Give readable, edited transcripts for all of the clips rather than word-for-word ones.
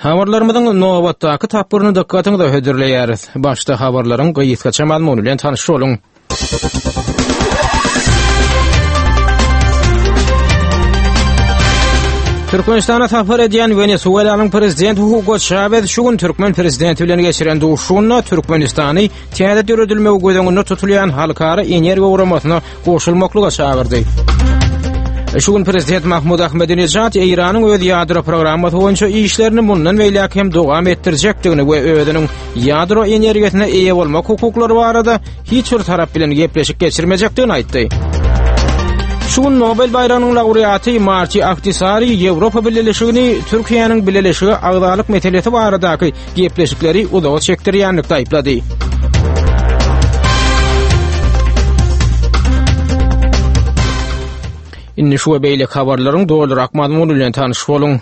Habarlarymyzyň nobatdaky tapgyryny dykgatyňyza hödürleýäris. Başda habarlaryň gysgaça mazmuny bilen tanyş boluň. Türkmenistana sapar edýän Wenesuelanyň prezidenti Hugo Çawez şu gün türkmen prezidenti bilen geçiren duşuşygynda Türkmenistany täze döredilmegi göz öňünde tutulýan halkara energiýa guramasyna goşulmaklyga çagyrdy. Şu gün prezident Mahmud Ahmedinejad Eýranyň öz ýadro programmasy boýunça işlerini mundan beýläk hem dowam etdirjekdigini we özüniň ýadro energiýasyna eýe bolmak hukuklary barada hiç bir tarap bilen gepleşik geçirmejekdigini aýtdy. Şu gün Nobel baýragynyň laureaty Marti Ahtisari Ýewropa Bileleşigini Türkiýäniň bileleşige agzalyk meselesi baradaky gepleşikleri uzaga çekdirýänlikde aýyplady. Indi şu we beýleki habarlaryň dolurak mazmuny bilen tanyş boluň.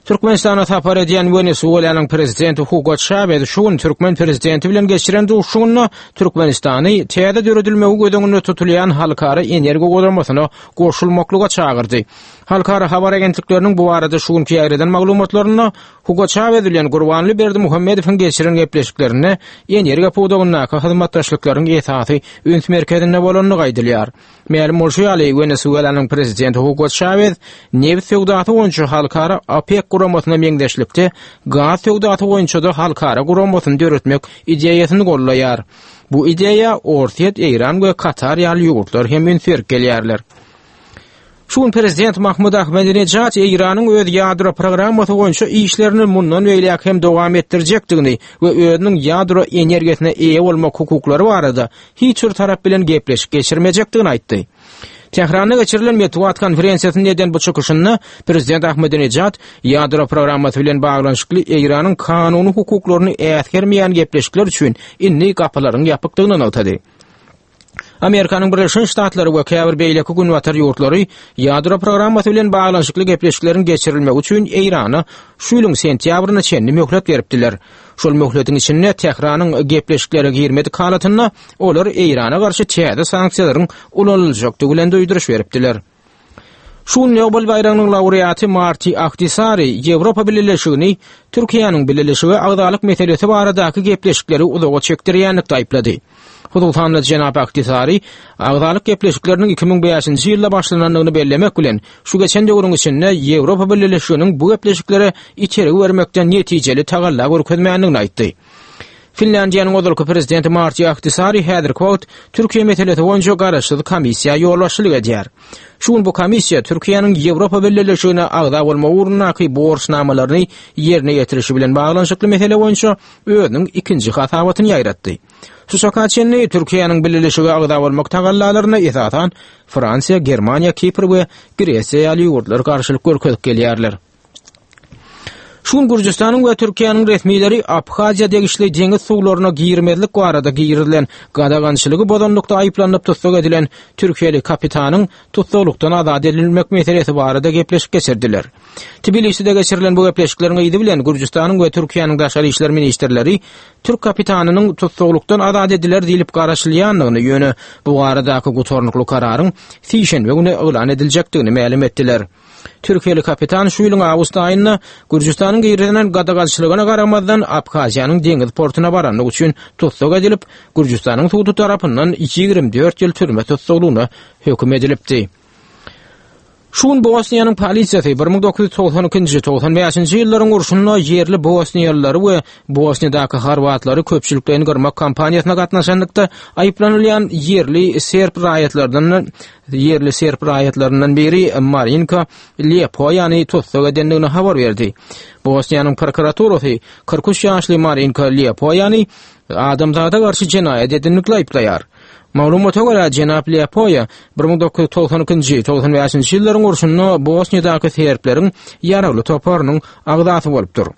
Türkmenistana sapar edýän Wenesuelanyň prezidenti Hugo Çawez şu gün türkmen prezidenti bilen geçiren duşuşygynda Türkmenistany täze döredilmegi göz öňünde tutulýan halkara energiýa guramasyna goşulmaklyga çagyrdy. Halkara habar agentlikleriniň bu barada şu günki ýaýradan maglumatlarynda Hugo Çawez bilen Gurbanguly Berdimuhamedowyň geçiren gepleşiklerinde energiýa pudagyndaky hyzmatdaşlyklaryň esasy üns merkezinde bolandygy aýdylýar. Mälim bolşy ýaly, Wenesuelanyň prezidenti Hugo Çawez nebit söwdasy boýunça halkara OPEK guramasyna meňzeşlikde gaz söwdasy boýunça-da halkara guramasyny döretmek ideýasyny goldaýar. Bu ideýa Orsýet, Eýran we Katar ýaly ýurtlar hem üns berip gelýärler. Şu gün prezident Mahmud Ahmedinejad Eýranyň öz ýadro programmasy boýunça işlerini mundan beýläk hem dowam etdirjekdigini we özüniň ýadro energiýasyna eýe bolmak hukuklary barada hiç bir tarap bilen gepleşik geçirmejekdigini aýtdy. Tähranda geçirilen metbugat konferensiýasynda eden bu çykyşynda prezident Ahmedinejad ýadro programmasy bilen baglanyşykly Eýranyň kanuny hukuklaryny äsgermeýän gepleşikler üçin indi gapylaryň ýapykdygyny nygtady. Amerikanyň Birleşen Ştatlary we käbir beýleki günbatar ýurtlary ýadro programmasy bilen baglanyşykly gepleşikleriň geçirilmegi üçin Eýrana şu ýylyň sentýabryna çenli möhlet beripdiler. Şol möhletiň içinde Tähranyň gepleşiklere girmedik halatynda olar Eýrana garşy täze sanksiýalaryň ulanyljakdygy bilen duýduryş beripdiler. Şu gün Nobel baýragynyň laureaty Marti Ahtisari Ýewropa Bileleşigini Türkiýäniň Bileleşige agzalyk meselesi baradaky gepleşikleri uzaga çekdirýänlikde aýyplady. Hususan-da, jenap Ahtisari agzalyk gepleşikleriniň 2005-nji ýylda başlanandygyny bellemek bilen, şu geçen döwrüň içinde Ýewropa Bileleşiginiň bu gepleşiklere itergi bermekde netijeli tagalla görkezmändigini aýtdy. Finlýandiýanyň ozalky prezidenti Marti Ahtisari häzirki wagt Türkiýe meselesi boýunça garaşsyz komissiýa ýolbaşçylyk edýär. Şu gün bu komissiýa Türkiýäniň Ýewropa Bileleşigine agza bolmak ugrundaky borçnamalaryny ýerine ýetirişi bilen baglanyşykly mesele boýunça özüniň ikinji hasabatyny ýaýratdy. Şu çaka çenli Türkiýäniň Bileleşige agza bolmak tagallalaryna esasan Fransiýa, Germaniýa, Kipr we Gresiýa ýaly ýurtlar garşylyk görkezip gelýärler. Şu gün Gürjüstanyň we Türkiýäniň resmileri Abhaziýa degişli deňiz suwlaryna girmezlik barada girizilen gadagançylygy bozanlykda aýyplanyp tussag edilen türkiýeli kapitanyň tussaglykdan azat edilmek meselesi barada gepleşik geçirdiler. Tbiliside geçirilen bu gepleşikleriň yzy bilen Gürjüstanyň we Türkiýäniň daşary işler ministrleri türk kapitanynyň tussaglykdan azat ediler diýlip garaşylýandygyny, ýöne bu baradaky gutarnykly kararyň sişenbe güni yglan ediljekdigini mälim etdiler. Türkiýeli kapitan şu ýylyň awgust aýynda Gürjüstanyň girizilen gadagançylygyna garamazdan Abhaziýanyň deňiz portuna baranlygy üçin tussag edilip, Gürjüstanyň sudy tarapyndan 24 ýyl türme tussaglygyna höküm edilipdi. Şu gün Bosniýanyň polisiýasy 1992-nji, 95-nji ýyllaryň urşunda ýerli bosniýalylary we Bosniýadaky horwatlary köpçülikleýin gyrmak kampaniýasyna gatnaşanlykda aýyplanylýan ýerli serb raýatlaryndan ýerli serb raýatlaryndan biri Marinka Lepoýany tussag edendigini habar berdi. Bosniýanyň prokuraturasy 43 ýaşly Marinka Lepoýany adamzada garşy jenaýat edenlikde aýyplaýar. Maglumata görä, jenap Lepoýa 1992-nji, 95-nji ýyllaryň urşunda Bosniýadaky serbleriň ýaragly toparynyň agzasy bolupdyr.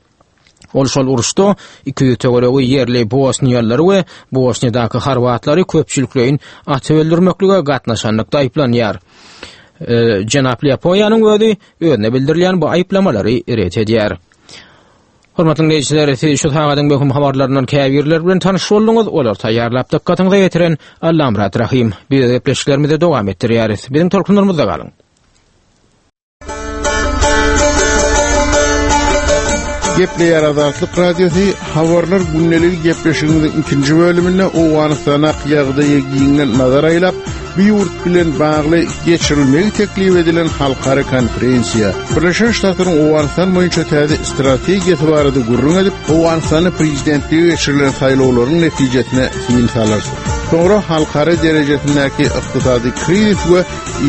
Ol şol uruşda 200 töweregi ýerli bosniýalylary we Bosniýadaky horwatlary köpçülikleýin atyp öldürmeklige gatnaşanlykda aýyplanýar. Jenap Lepoýanyň özi özüne bildirilýän bu aýyplamalary ret edýär. Hormatly diňleýjiler, siz şu sagadyň möhüm habarlaryndan käbirleri bilen tanyş bolduňyz. Olary taýýarlap dykgatyňyza ýetiren Allamyrat Rahym. Biz gepleşiklerimizi dowam etdirýäris. Biziň tolkunlarymyzda galyň. Gepleýär Azatlyk Radiosy, Habarlar gündeligi gepleşigimiziň ikinji bölüminde Owganystandaky ýagdaýa giňden nazar aýlap, bu ýurt bilen bagly geçirilmegi teklip edilen halkara konferensiýa, Birleşen Ştatlaryň Owganystan boýunça täze strategiýasy barada gürrüň edip, Owganystanda prezidentlige geçirilen saýlawlaryň netijesine syn salarys. Soňra halkara derejesindäki ykdysady krizis we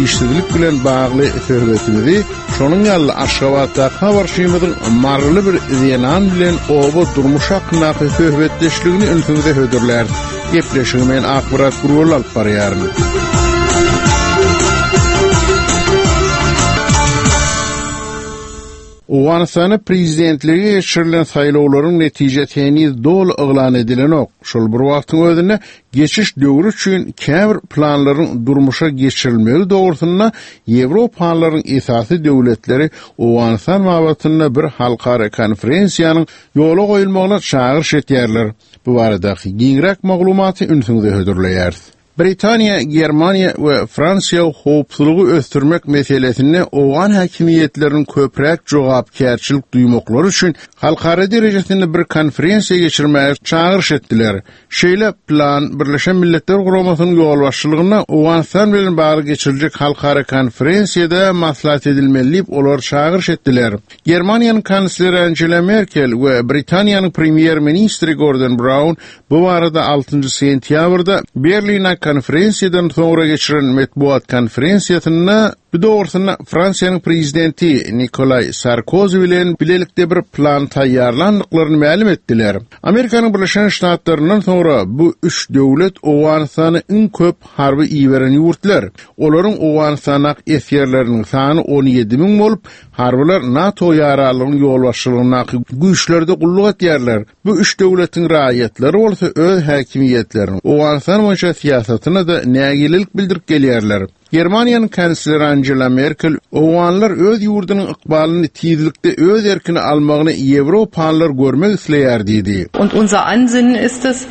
işsizlik bilen bagly söhbetimizi, şonuň ýaly Aşgabatdaky habarçymyzyň maryly bir zenan bilen oba durmuşy hakyndaky söhbetdeşligini ünsüňize hödürläris. Gepleşigi men Akmyrat Gurgul alyp barýaryn. Owganystanda prezidentlige geçirilen saýlawlaryň netijesi heniz doly yglan edilenok. Şol bir wagtyň özünde geçiş döwri üçin käbir planlaryň durmuşa geçirilmegi dogrusynda ýewropalylaryň esasy döwletleri Owganystan babatynda bir halkara konferensiýanyň ýola goýulmagyna çagyryş etýärler. Bu baradaky giňräk maglumaty ünsüňize hödürleýäris. Britaniýa, Germaniýa we Fransiýa howpsuzlygy ösdürmek meselesinde owgan häkimiýetleriniň köpräk jogapkärçilik duýmaklary üçin halkara derejesinde bir konferensiýa geçirmäge çagyryş etdiler. Şeýle plan Birleşen Milletler Guramasynyň ýolbaşçylygynda Owganystan bilen bagly geçiriljek halkara konferensiýada maslahat edilmeli diýip, olar çagyryş etdiler. Germaniýanyň kansleri Angela Merkel we Britaniýanyň premýer-ministri Gordon Braun Bu barada altynjy sentýabrda Berlinde konferensiýadan soňra geçiren metbugat konferensiýasynda bu dogrusynda Fransiýanyň prezidenti Nikolaý Sarkozi bilen bilelikde bir plan taýýarlandyklaryny mälim etdiler. Amerikanyň Birleşen Ştatlaryndan soňra bu üç döwlet Owganystana iň köp harby iberen ýurtlar. Olaryň Owganystandaky esgerleriniň sany 17 müň bolup, harbylar NATO ýaranlygynyň ýolbaşçylygyndaky güýçlerde gulluk edýärler. Bu üç döwletiň raýatlary bolsa öz häkimiýetleriniň Owganystan boýunça syýasatyna-da nägilelik bildirip gelýärler. Germaniýanyň kansleri Angela Merkel owganlar öz ýurdunyň ykbalyny tizlikde öz erkine almagyny ýewropalylar görmek isleýär diýdi. Und unser Ansinnen ist es,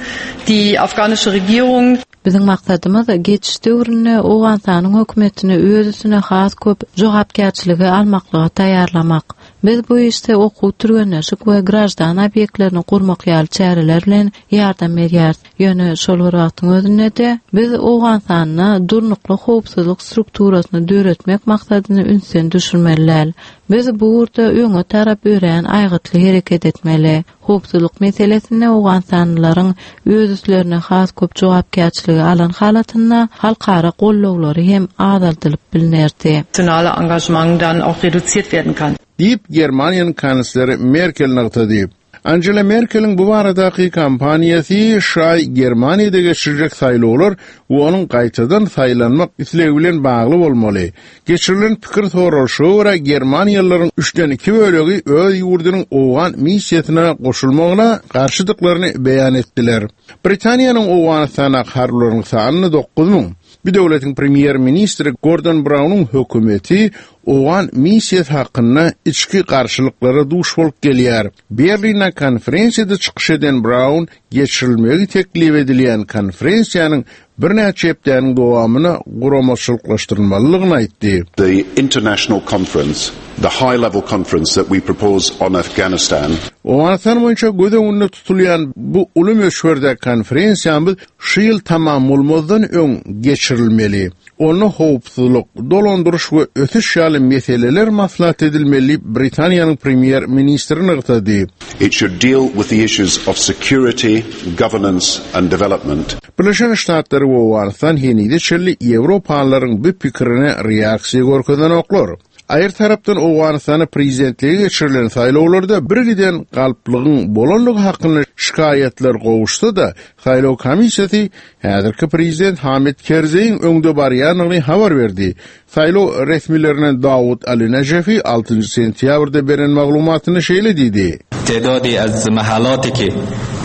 die afghanische Regierung, Biziň maksadymyz geçiş döwründe Owganystanyň hökümetini öz üstüne has köp jogapkärçiligi almaklyga taýýarlamak. Biz bu işde okuw-türgenleşik we graždan obýektlerini gurmak ýaly çäreler bilen ýardam berýäris. Ýöne şol bir wagtyň özünde-de, biz Owganystanda durnukly howpsuzlyk strukturasyny döretmek maksadyny ünsden düşürmeli däl. Biz bu ugurda öňe tarap örän aýgytly hereket etmeli. Howpsuzlyk meselesinde owganystanlylaryň öz üstlerine has köp jogapkärçiligi alan halatynda halkara gollawlary hem azaldylyp bilnerdi. Nationale Engagement dann auch reduziert werden kann. Diýip, Germaniýanyň kansleri Merkel nygtady. Angela Merkeliň bu baradaky kampaniýasy şaý Germaniýada geçiriljek saýlawlar we onuň gaýtadan saýlanmak islegi bilen bagly bolmaly. Geçirilen pikir soralyşyga görä, germaniýalylaryň üçden iki bölegi öz ýurdunyň owgan missiýasyna goşulmagyna garşydyklaryny beýan etdiler. Britaniýanyň Owganystandaky harbylaryň sany 9000. Bu döwletiň premýer-ministri Gordon Braunyň hökümeti owgan missiýasy hakynda içki garşylyklara duş bolup gelýär. Berlinde konferensiýada çykyş eden Braun geçirilmegi teklip edilýän konferensiýanyň birnäçe hepdäniň dowamynda guramaçylyklaşdyrylmalydygyny aýtdy. The international conference, the high level conference that we propose on Afghanistan. Owganystan boýunça göz öňünde tutulýan bu uly möçberdäki konferensiýamyz şu ýyl tamam bolmazdan öň geçirilmeli. Onda howpsuzlyk, dolandyryş we ösüş ýaly meseleler maslahat edilmeli diýip, Britaniýanyň premýer-ministri nygtady. It should deal with the issues of security, governance and development. Birleşen Ştatlar we Owganystan henize çenli ýewropalylaryň bu pikirine reaksiýa görkezenoklar. Aýry tarapdan Owganystanda prezidentlige geçirilen saýlawlarda birgiden galplygyň bolandygy hakynda şikaýatlar gowuşsa-da, saýlaw komissiýasy häzirki prezident Hamid Kerzeýiň öňde barýandygyny habar berdi. Saýlaw resmilerinden Dawud Ali Najefi altynjy sentýabrda beren maglumatynda şeýle diýdi. Tedadi az mahalati ki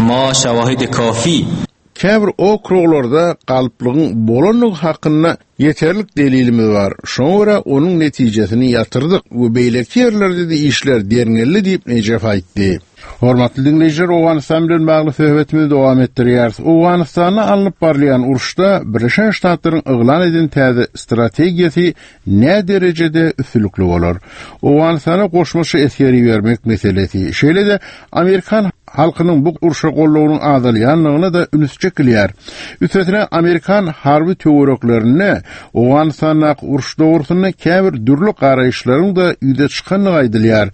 ma şawahidi kafi. Käbir okruglarda galplygyň bolandygy hakynda ýeterlik delilimiz bar. Şoňa görä onuň netijesini ýatyrdyk we beýleki ýerlerde-de işler derňeldi diýip, Nejef aýtdy. Hormatly diňleýjiler, Owganystan bilen bagly söhbetimizi dowam etdirýäris. Owganystanda alnyp barylýan uruşda Birleşen Ştatlaryň yglan eden täze strategiýasy nä derejede üstünlikli bolar? Owganystana goşmaça esger ibermek meselesi, şeýle-de amerikan halkynyň bu urşa goldawynyň azalýandygyna-da üns çekilýär. Üstesine, amerikan harby töwereklerinde Owganystandaky uruş dogrusynda käbir dürli garaýyşlaryň-da ýüze çykandygy aýdylýar.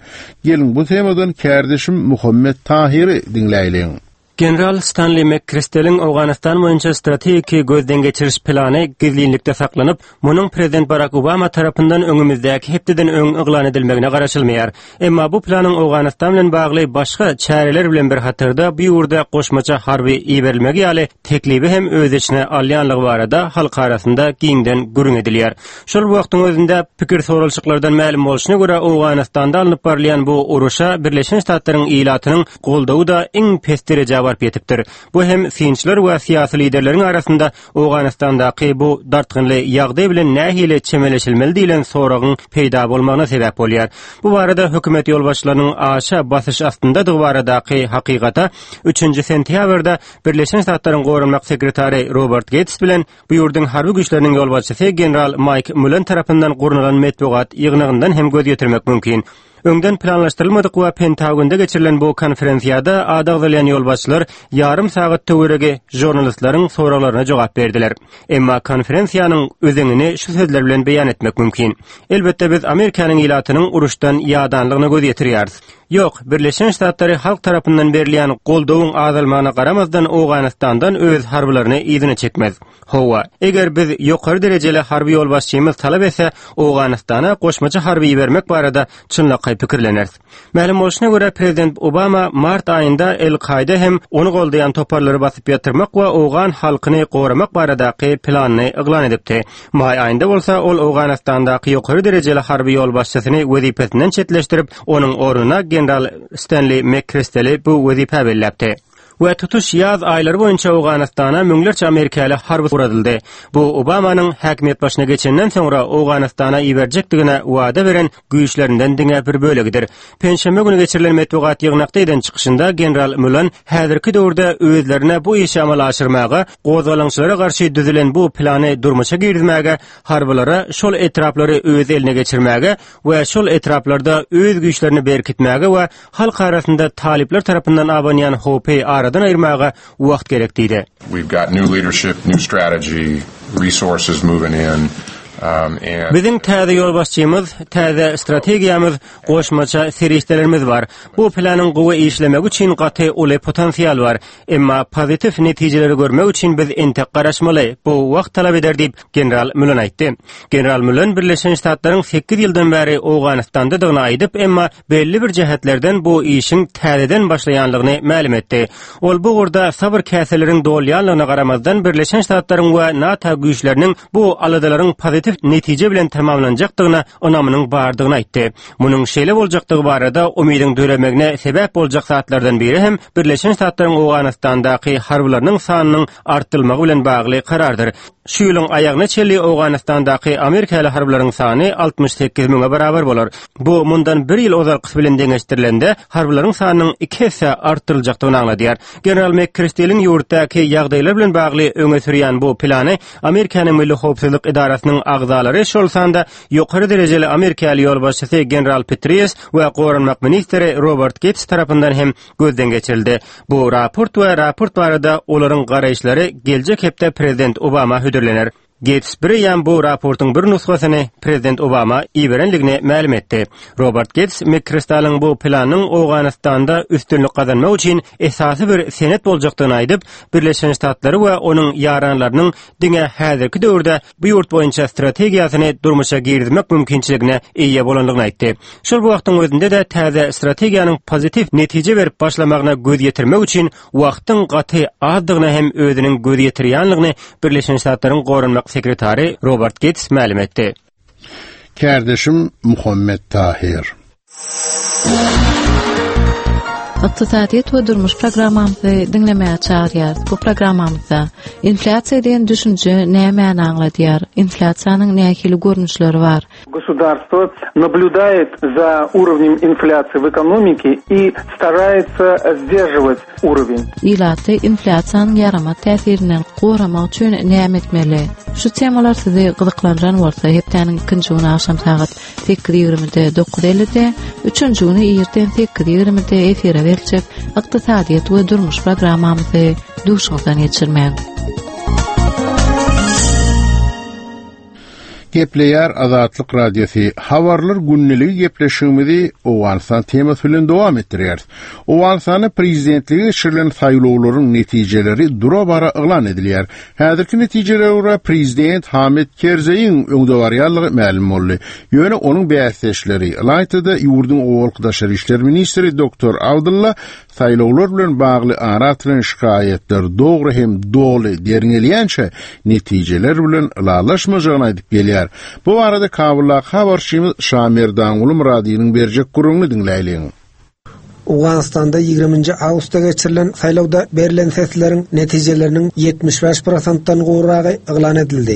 Geliň, bu temadan kärdeşim Muhammet Tahyry diňläýliň. General Stanli MkKristeliň Owganystan boýunça strategiki gözden geçiriş plany gizlinlikde saklanyp, munuň prezident Barak Obama tarapyndan öňümizdäki hepdeden öň yglan edilmegine garaşylmaýar. Emma bu planyň Owganystan bilen bagly başga çäreler bilen bir hatarda bu ýurda goşmaça harby iberilmegi ýaly teklibi hem öz içine alýanlygy barada halk arasynda giňden gürrüň edilýär. Şol bir wagtyň özünde, pikir soralyşyklardan mälim bolşuna görä, Owganystanda alnyp barylýan bu uruşa Birleşen Ştatlaryň ilatynyň goldawy-da iň pes derejä baryp ýetipdir. Bu hem synçylar we syýasy liderleriň arasynda Owganystandaky bu dartgynly ýagdaý bilen nähili çemeleşilmeli diýlen soragyň peýda bolmagyna sebäp bolýar. Bu barada hökümet ýolbaşçylarynyň aşa basyş astyndadygy baradaky hakykata üçünji sentýabrda Birleşen Ştatlaryň goranmak sekretary Robert Geýts bilen bu ýurduň harby güýçleriniň ýolbaşçysy general Maýk Mullen tarapyndan gurnalan metbugat ýygnagyndan hem göz ýetirmek mümkin. Öňden planlaşdyrylmadyk we Pentagonda geçirilen bu konferensiýada ady agzalýan ýolbaşçylar ýarym sagat töweregi žurnalistleriň soraglaryna jogap berdiler. Emma konferensiýanyň özeňini şu sözler bilen beýan etmek mümkin. Elbetde biz Amerikanyň ilatynyň uruşdan ýadanlygyna göz ýetirýäris. Ýok, Birleşen Ştatlary halk tarapyndan berilýän goldawyň azalmagyna garamazdan Owganystandan öz harbylaryny yzyna çekmez. Hawa, eger biz ýokary derejeli harby ýolbaşçymyz talap etse, Owganystana goşmaça harby ibermek barada çynlakaý pikirleneris. Mälim bolşuna görä, prezident Obama mart aýynda El-Kaýda hem ony goldaýan toparlary basyp ýatyrmak we owgan halkyny goramak baradaky planyny yglan edipdi. Maý aýynda bolsa ol Owganystandaky ýokary derejeli harby ýolbaşçysyny wezipesinden çetleşdirip, onuň ornuna general Stenli MkKristeli bu wezipä belläpdi. We tutuş ýaz aýlary boýunça Owganystana müňlerçe amerikaly harby ugradyldy. Bu Obamanyň häkimiýet başyna geçenden soňra Owganystana iberjekdigine wada beren güýçlerinden diňe bir bölegidir. Penşenbe güni geçirilen metbugat ýygnakda eden çykyşynda general Mulan häzirki döwürde özlerine bu işi amala aşyrmaga, gozgalaňçylara garşy düzülen bu plany durmuşa girizmäge, harbylara şol etraplary öz eline geçirmäge we şol etraplarda öz güýçlerini berkitmäge we halk arasynda talyplar tarapyndan abanýan howpy aradan aýyrmaga wagt gerek diýdi. We've got new leadership, new strategy, resources moving in. Um, Biziň täze ýolbaşçymyz, täze strategiýamyz, goşmaça serişdelerimiz bar. Bu planyň gowy işlemegi üçin gaty uly potensial bar. Emma pozitiw netijeleri görmek üçin biz entek garaşmaly. Bu wagt talap eder diýip, General Mülen aýtdy. General Mülen Birleşen Ştatlaryň sekiz ýyldan bäri Owganystandadygyny aýdyp, emma belli bir jähetlerden bu işiň täzeden başlaýanlygyny mälim etdi. Ol bu ugurda sabyr käseleriň dolýanlygyna garamazdan Birleşen Ştatlaryň we NATO güýçleriniň bu aladalaryň pozitiw netije bilen tamamlanjakdygyna ynamynyň bardygyny aýtdy. Munuň şeýle boljakdygy barada umydyň döremegine sebäp boljak zatlardan biri hem Birleşen Ştatlaryň Owganystandaky harbylarynyň sanynyň artdyrylmagy bilen bagly karardyr. Şu ýylyň aýagyna çenli Owganystandaky amerikaly harbylaryň sany 68 müňe barabar bolar. Bu mundan bir ýyl ozalkysy bilen deňeşdirilende, harbylaryň sanynyň iki esse artdyryljakdygyny aňladýar. General MkKristeliň ýurtdaky ýagdaýlar bilen bagly öňe sürýän bu plany Amerikanyň Milli howpsuzlyk edarasynyň agzalary, şol sanda ýokary derejeli amerikaly ýolbaşçysy general Petraeus we goranmak ministri Robert Geýts tarapyndan hem gözden geçirildi. Bu raport we raport barada olaryň garaýyşlary geljek hepde prezident Obama hödürlener. Geýts bireýýäm bu raportyň bir nusgasyny prezident Obama iberenligini mälim etdi. Robert Geýts MkKristalyň bu planynyň Owganystanda üstünlik gazanmak üçin esasy bir senet boljakdygyny aýdyp, Birleşen Ştatlary we onuň ýaranlarynyň diňe häzirki döwürde bu ýurt boýunça strategiýasyny durmuşa girizmek mümkinçiligine eýe bolandygyny aýtdy. Şol bir wagtyň özünde-de täze strategiýanyň pozitiw netije berip başlamagyna göz ýetirmek üçin wagtyň gaty azdygyna hem özüniň göz ýetirýänligini Birleşen Ştatlaryň goranmak sekretary Robert Geýts mälim etdi. Kärdeşim Muhammet Tahyr. Ykdysadyýet we durmuş programmamyzy diňlemäge çagyrýarys. Bu programmamyzda inflýasiýa diýen düşünje nämäni aňladýar? Inflýasiýanyň nähili görnüşleri bar? Государство наблюдает за уровнем инфляции в экономике и старается сдерживать уровень. Ilaty inflýasiýanyň ýaramaz täsirinden goramak üçin näme etmeli? Şu temalar sizi gyzyklandyran bolsa, hepdäniň ikinji güni agşam sagat 8.20-de 9.50-de, üçünji güni irden 8.20-de efire beriljek Ykdysadyýet we durmuş programmamyzy duşuňyzdan geçirmäň. Gepleýär Azatlyk Radiosy, Habarlar gündeligi gepleşigimizi Owganystan temasy bilen dowam etdirýäris. Owganystanda prezidentlige geçirilen saýlawlaryň netijeleri dura-bara yglan edilýär. Häzirki netijelere görä prezident Hamid Kerzeýiň öňde barýanlygy mälim boldy. Ýöne onuň bäsdeşleri, ylaýta-da ýurduň owalky daşary işler ministri doktor Abdylla Saýlawlar bilen bagly ara atylan şikaýatlar dogry hem doly derňelýänçä netijeler bilen ylalaşmajagyny aýdyp gelýär. Bu barada Kabuldaky habarçymyz Şamerdanguly Myradynyň berjek gürrüňini diňläýliň. Owganystanda ýigriminji awgustda geçirilen saýlawda berlen sesleriň netijeleriniň 75 prosentden gowragy yglan edildi.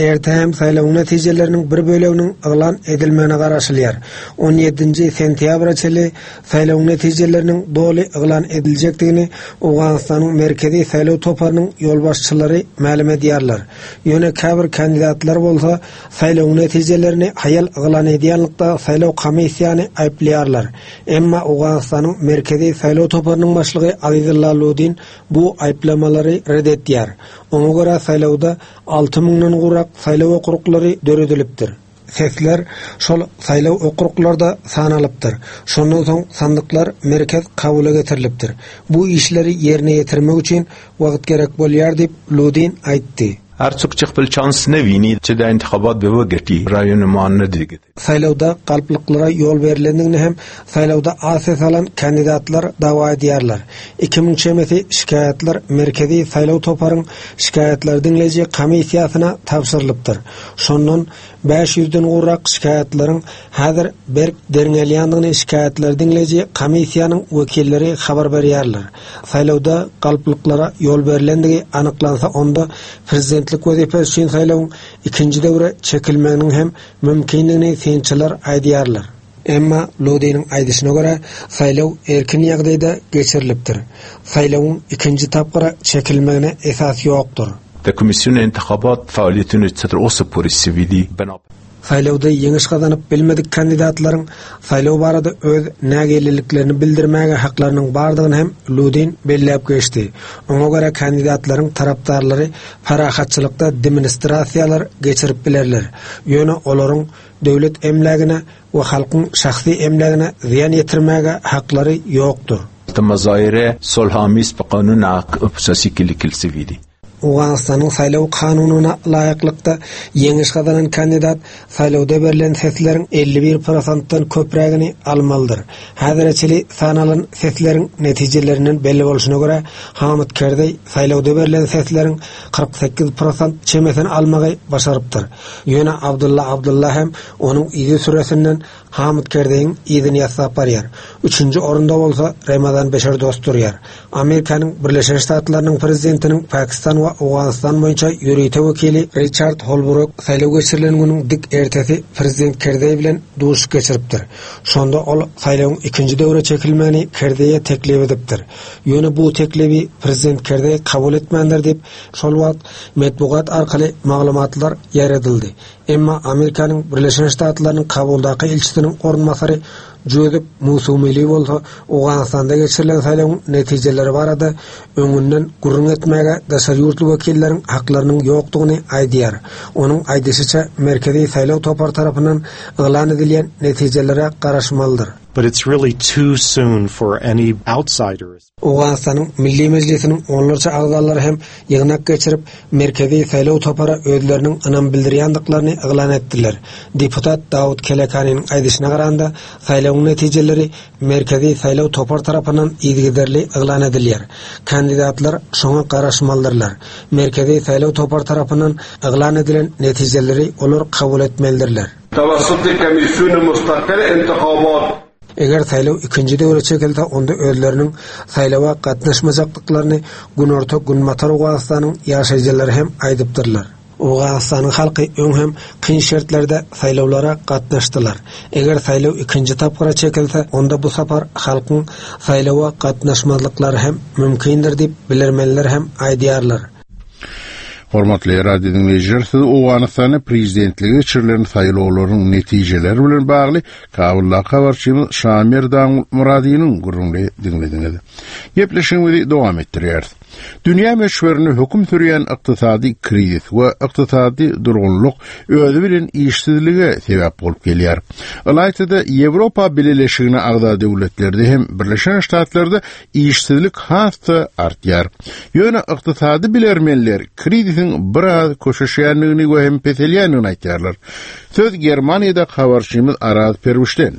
Erte hem saýlawyň netijeleriniň bir böleginiň yglan edilmegine garaşylýar. On ýedinji sentýabra çenli Saýlawyň netijeleriniň doly yglan ediljekdigini Owganystanyň Merkezi saýlaw toparynyň ýolbaşçylary mälim edýärler. Ýöne käbir kandidatlar bolsa saýlawyň netijelerini haýal yglan edýänlikde saýlaw komissiýany aýyplaýarlar. Emma Owganystanyň Merkezi saýlaw toparynyň başlygy Azizulla Ludin bu aýyplamalary ret edýär. Oňa görä saýlawda alty müňden gowrak saýlaw okruglary döredilipdir. Sesler şol saýlaw okruglarda sanalypdyr. Şondan soň sandyklar merkez Kabula getirilipdir. Bu işleri ýerine ýetirmek üçin wagt gerek bolýar diýip, Ludin aýtdy. هر څوک چې خپل چانس نه ویني چې دا انتخابات به وګټي رایو نما نه دی Saýlawda galplyklara ýol berlendigini hem saýlawda az ses alan kandidatlar dawa edýärler. 2000 çemesi şikaýatlar Merkezi saýlaw toparyň şikaýatlary diňleýji komissiýasyna tabşyrylypdyr. Şondan 500-den gowrak şikaýatlaryň häzir berk derňelýändigini şikaýatlary diňleýji komissiýanyň wekilleri habar berýärler. Saýlawda galplyklara ýol berlendigi anyklansa onda prezidentlik wezipesi üçin saýlawyň ikinji döwre çekilmeginiň hem mümkindigini synçylar aýdýarlar. Emma Lodiniň aýdyşyna görä, saýlaw erkin ýagdaýda geçirilipdir. Saýlawyň ikinji tapgyra çekilmegine esas ýokdur. د کمیسیون انتخابات فعالیتونو څه تر اوسه پورې سوي دي بنا Saýlawda ýeňiş gazanyp bilmedik kandidatlaryň saýlaw barada öz nägileliklerini bildirmäge haklarynyň bardygyny hem Ludin belläp geçdi. Oňa görä kandidatlaryň tarapdarlary parahatçylykda demonstrasiýalar geçirip bilerler. Ýöne olaryň döwlet emlägine we halkyň şahsy emlägine zyýan ýetirmäge haklary ýokdur. مظاهره صلح آمیز په قانون اساسي کې لیکل سوي دي. Owganystanyň saýlaw kanunyna laýyklykda, ýeňiş gazanan kandidat saýlawda berlen sesleriň 51 prosentden köprägini almalydyr. Häzire çenli sanalan sesleriň netijelerinden belli bolşuna görä, Hamid Kerzeý saýlawda berlen sesleriň 48 prosent çemesini almagy başarypdyr. Ýöne Abdulla Abdulla hem onuň yzysüresinden Hamid Kerzeýiň yzyny ýassap barýar. Üçünji orunda bolsa Remezan Beşir Dost durýar. Amerikanyň Birleşen Ştatlarynyň Prezidentiniň Pakistan we Owganystan boýunça ýörite wekili Riçard Holbruk saýlaw geçirilen günüň dik ertesi Prezident Kerzeý bilen duşuşyk geçiripdir. Şonda ol saýlawyň ikinji döwre çekilmegini Kerzeýe teklip edipdir. Ýöne bu teklibi Prezident Kerzeý kabul etmändir diýip, şol wagt metbugat arkaly maglumatlar ýaýradyldy. Emma Amerikanyň Birleşen Ştatlarynyň Kabuldaky ilçisiniň orunbasary Jozef Musumili bolsa Owganystanda geçirilen saýlawyň netijeleri barada öňünden gürrüň etmäge daşary ýurtly wekilleriň haklarynyň ýokdugyny aýdýar. Onuň aýdyşyça, Merkezi saýlaw topary tarapyndan yglan edilýän netijelere garaşmalydyr. But it's really too soon for any outsiders. Owganystanyň Milli Mejlisiniň onlarça agzalary hem ýygnak geçirip, Merkezi saýlaw topara özleriniň ynam bildirýändiklaryny yglan etdiler. Deputat Dawut Kelekanynyň aýdyşyna garanda, saýlawyň netijeleri Merkezi saýlaw topar tarapyndan yzygiderli yglan edilýär. Kandidatlar şoňa garaşmalydyrlar. Merkezi saýlaw topar tarapyndan yglan edilen netijeleri olar kabul etmelidirler. توسط کمیسیون مستقل انتخابات. Eger saýlaw ikinji döwre çekilse, onda özleriniň saýlawa gatnaşmajakdyklaryny Günorta-Günbatar Owganystanyň ýaşaýjylary hem aýdypdyrlar. Owganystanyň halky öň hem kyn şertlerde saýlawlara gatnaşdylar. Eger saýlaw ikinji tapgyra çekilse, onda bu sapar halkyň saýlawa gatnaşmazlyklary hem mümkindir diýip, bilermenler hem aýdýarlar. Hormatly radio diňleýjiler, siz Owganystanda prezidentlige geçirilen saýlawlaryň netijeleri bilen bagly Kabuldaky habarçymyz Şamerdan Myradynyň gürrüňini diňlediňiz. Gepleşigimizi dowam etdirýäris. Dünýä möçberinde höküm sürýän ykdysady krizis we ykdysady durgunlyk özi bilen işsizlige sebäp bolup gelýär. Ylaýta-da Ýewropa Bileleşigine agza döwletlerde hem Birleşen Ştatlarda işsizlik has-da artýar. Ýöne ykdysady bilermenler krizisiň biraz köşeşýändigini we hem peselýändigini aýtýarlar. Söz Germaniýadaky habarçymyz Araz Perwişden.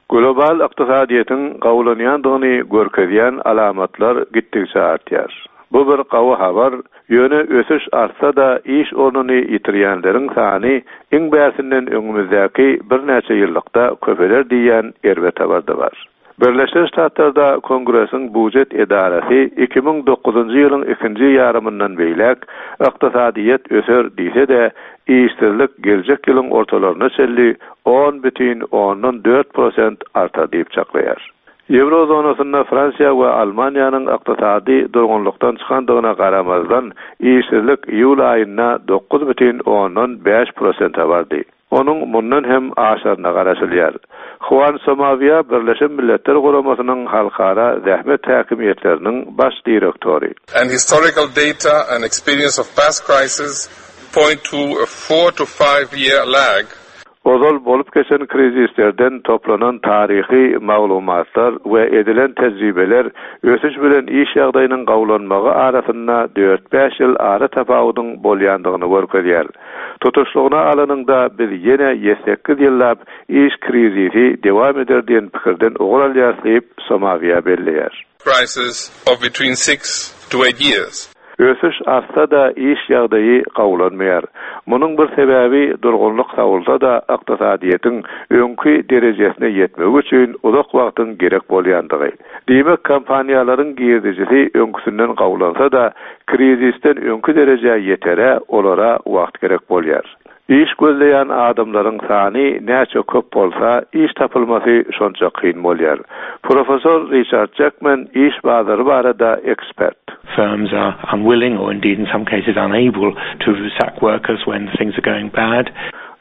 Global ykdysadyýetiň gowulanýandygyny görkezýän alamatlar gitdigiçe artýar. Bu bir gowy habar, ýöne ösüş artsa-da iş ornuny ýitirýänleriň sany iň bärsinden öňümizdäki birnäçe ýyllykda köpeler diýýän erbet habar-da bar. Birleşen Ştatlarda Kongresiň bujet edarasy 2009-njy ýylyň ikinji ýarymyndan beýläk ykdysadyýet öser diýse-de, işsizlik geljek ýylyň ortalaryna çenli on bütin ondan dört prosent artar diýip çaklaýar. Ýewro zonasynda Fransiýa we Almaniýanyň ykdysady durgunlykdan çykandygyna garamazdan, işsizlik iýul aýynda dokuz bütin ondan bäş prosente bardy. Onuň mundan hem aşaryna garaşylýar. Huan Somawia Birleşen Milletler Guramasynyň Halkara zähmet häkimiýetleriniň baş direktory. And historical data and experience of past crises point to a four to five year lag. Ozal bolup geçen krizislerden toplanan taryhy maglumatlar we edilen tejribeler ösüş bilen iş ýagdaýynyň gowulanmagy arasynda dört-bäş ýyl ara tapawudyň bolýandygyny görkezýär. Tutuşlygyna alanyňda, biz ýene ýetsekiz ýyllap iş krizisi dewam eder diýen pikirden ugur alýarys diýip, Somawiýa belleýär. Crisis of between six to eight years. Ösüş artsa-da, iş ýagdaýy gowulanmaýar. Munuň bir sebäbi durgunlyk sawulsa-da, ykdysadyýetiň öňki derejesine ýetmegi üçin uzak wagtyň gerek bolýandygy. Diýmek, kompaniýalaryň girdejisi öňküsinden gowulansa-da, krizisden öňki derejä ýetere olara wagt gerek bolýar. Iş gözleýän adamlaryň sany näçe köp bolsa, iş tapylmasy şonça kyn bolýar. Professor Riçard Jekmen iş bazary barada ekspert. Firms are unwilling or indeed in some cases unable to sack workers when things are going bad.